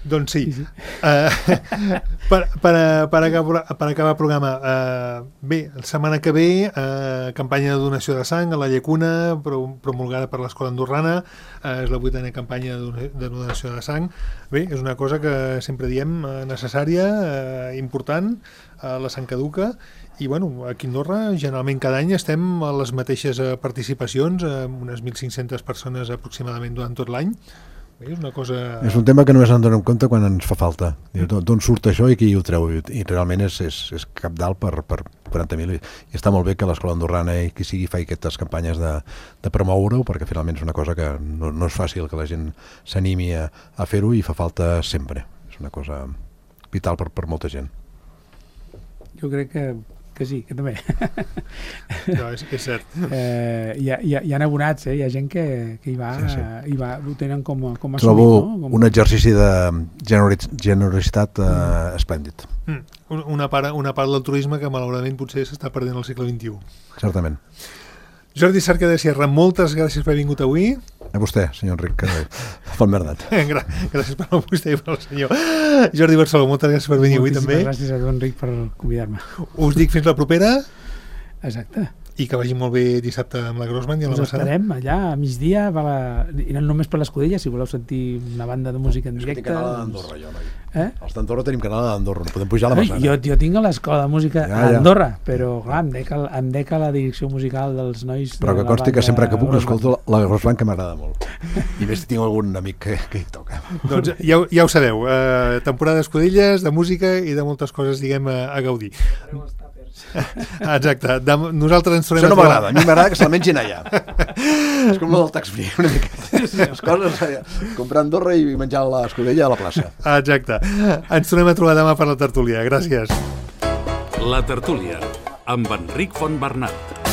Doncs sí. sí, sí. Uh, per, per, per, acabar, per acabar el programa, uh, bé, la setmana que ve, uh, campanya de donació de sang a la Llacuna, promulgada per l'Escola Andorrana, uh, és la vuitena campanya de donació de sang. Bé, és una cosa que sempre diem uh, necessària, uh, important, uh, la sang caduca, i bueno, aquí a Andorra generalment cada any estem a les mateixes uh, participacions, uh, unes mil cinc-centes persones aproximadament durant tot l'any. És una cosa... És un tema que només en donem compte quan ens fa falta. D'on surt això i qui ho treu? I realment és, és, és capdalt per, per quaranta mil. I està molt bé que l'escola andorrana i qui sigui fa aquestes campanyes de, de promoure-ho, perquè finalment és una cosa que no, no és fàcil que la gent s'animi a, a fer-ho i fa falta sempre. És una cosa vital per, per molta gent. Jo crec que que sí, que també. No, és, és cert. Eh, hi, ha, hi, ha, hi ha abonats, eh? Hi ha gent que, que hi, va, sí, sí. Hi va, ho tenen com, com a Trobo assumit, no? Com... un exercici de generositat eh, mm. esplèndid. Mm. Una part, una part del turisme que malauradament potser s'està perdent al segle vint-i-u. Certament. Jordi Cerca de Sierra, moltes gràcies per haver vingut avui. A vostè, senyor Enric Fontbernat. Gràcies per a vostè i per al senyor Jordi Barceló, moltes gràcies per venir avui també. Moltíssimes gràcies a tu, Enric, per convidar-me. Us dic fins la propera. Exacte. I que vagi molt bé dissabte amb la Grossman i a la Massana. Us estarem allà a migdia, va la... i no només per l'Escudella, si voleu sentir una banda de música en directe. És que tinc canal d'Andorra, jo, noi. Eh? Els d'Andorra tenim canal d'Andorra, no podem pujar a la Massana. Jo, jo tinc a l'escola de música ja, a Andorra, ja. Però clar, em dec, em dec a la direcció musical dels nois. Però que consti que sempre que puc l'escolto la Grossman, que m'agrada molt. I més tinc algun amic que, que hi toca. Doncs ja, ja ho sabeu, eh, temporada d'escudelles, de música i de moltes coses, diguem, a, a gaudir. Exacte. De, nosaltres ens tornem Això no m'agrada, a mi m'agrada que se'l mengin allà. És com el del tax free, una mica. Les coses, comprar Andorra i menjar l'escudella a la plaça. Exacte. Ens tornem a trobar demà per la tertúlia. Gràcies. La tertúlia, amb Enric Fontbernat.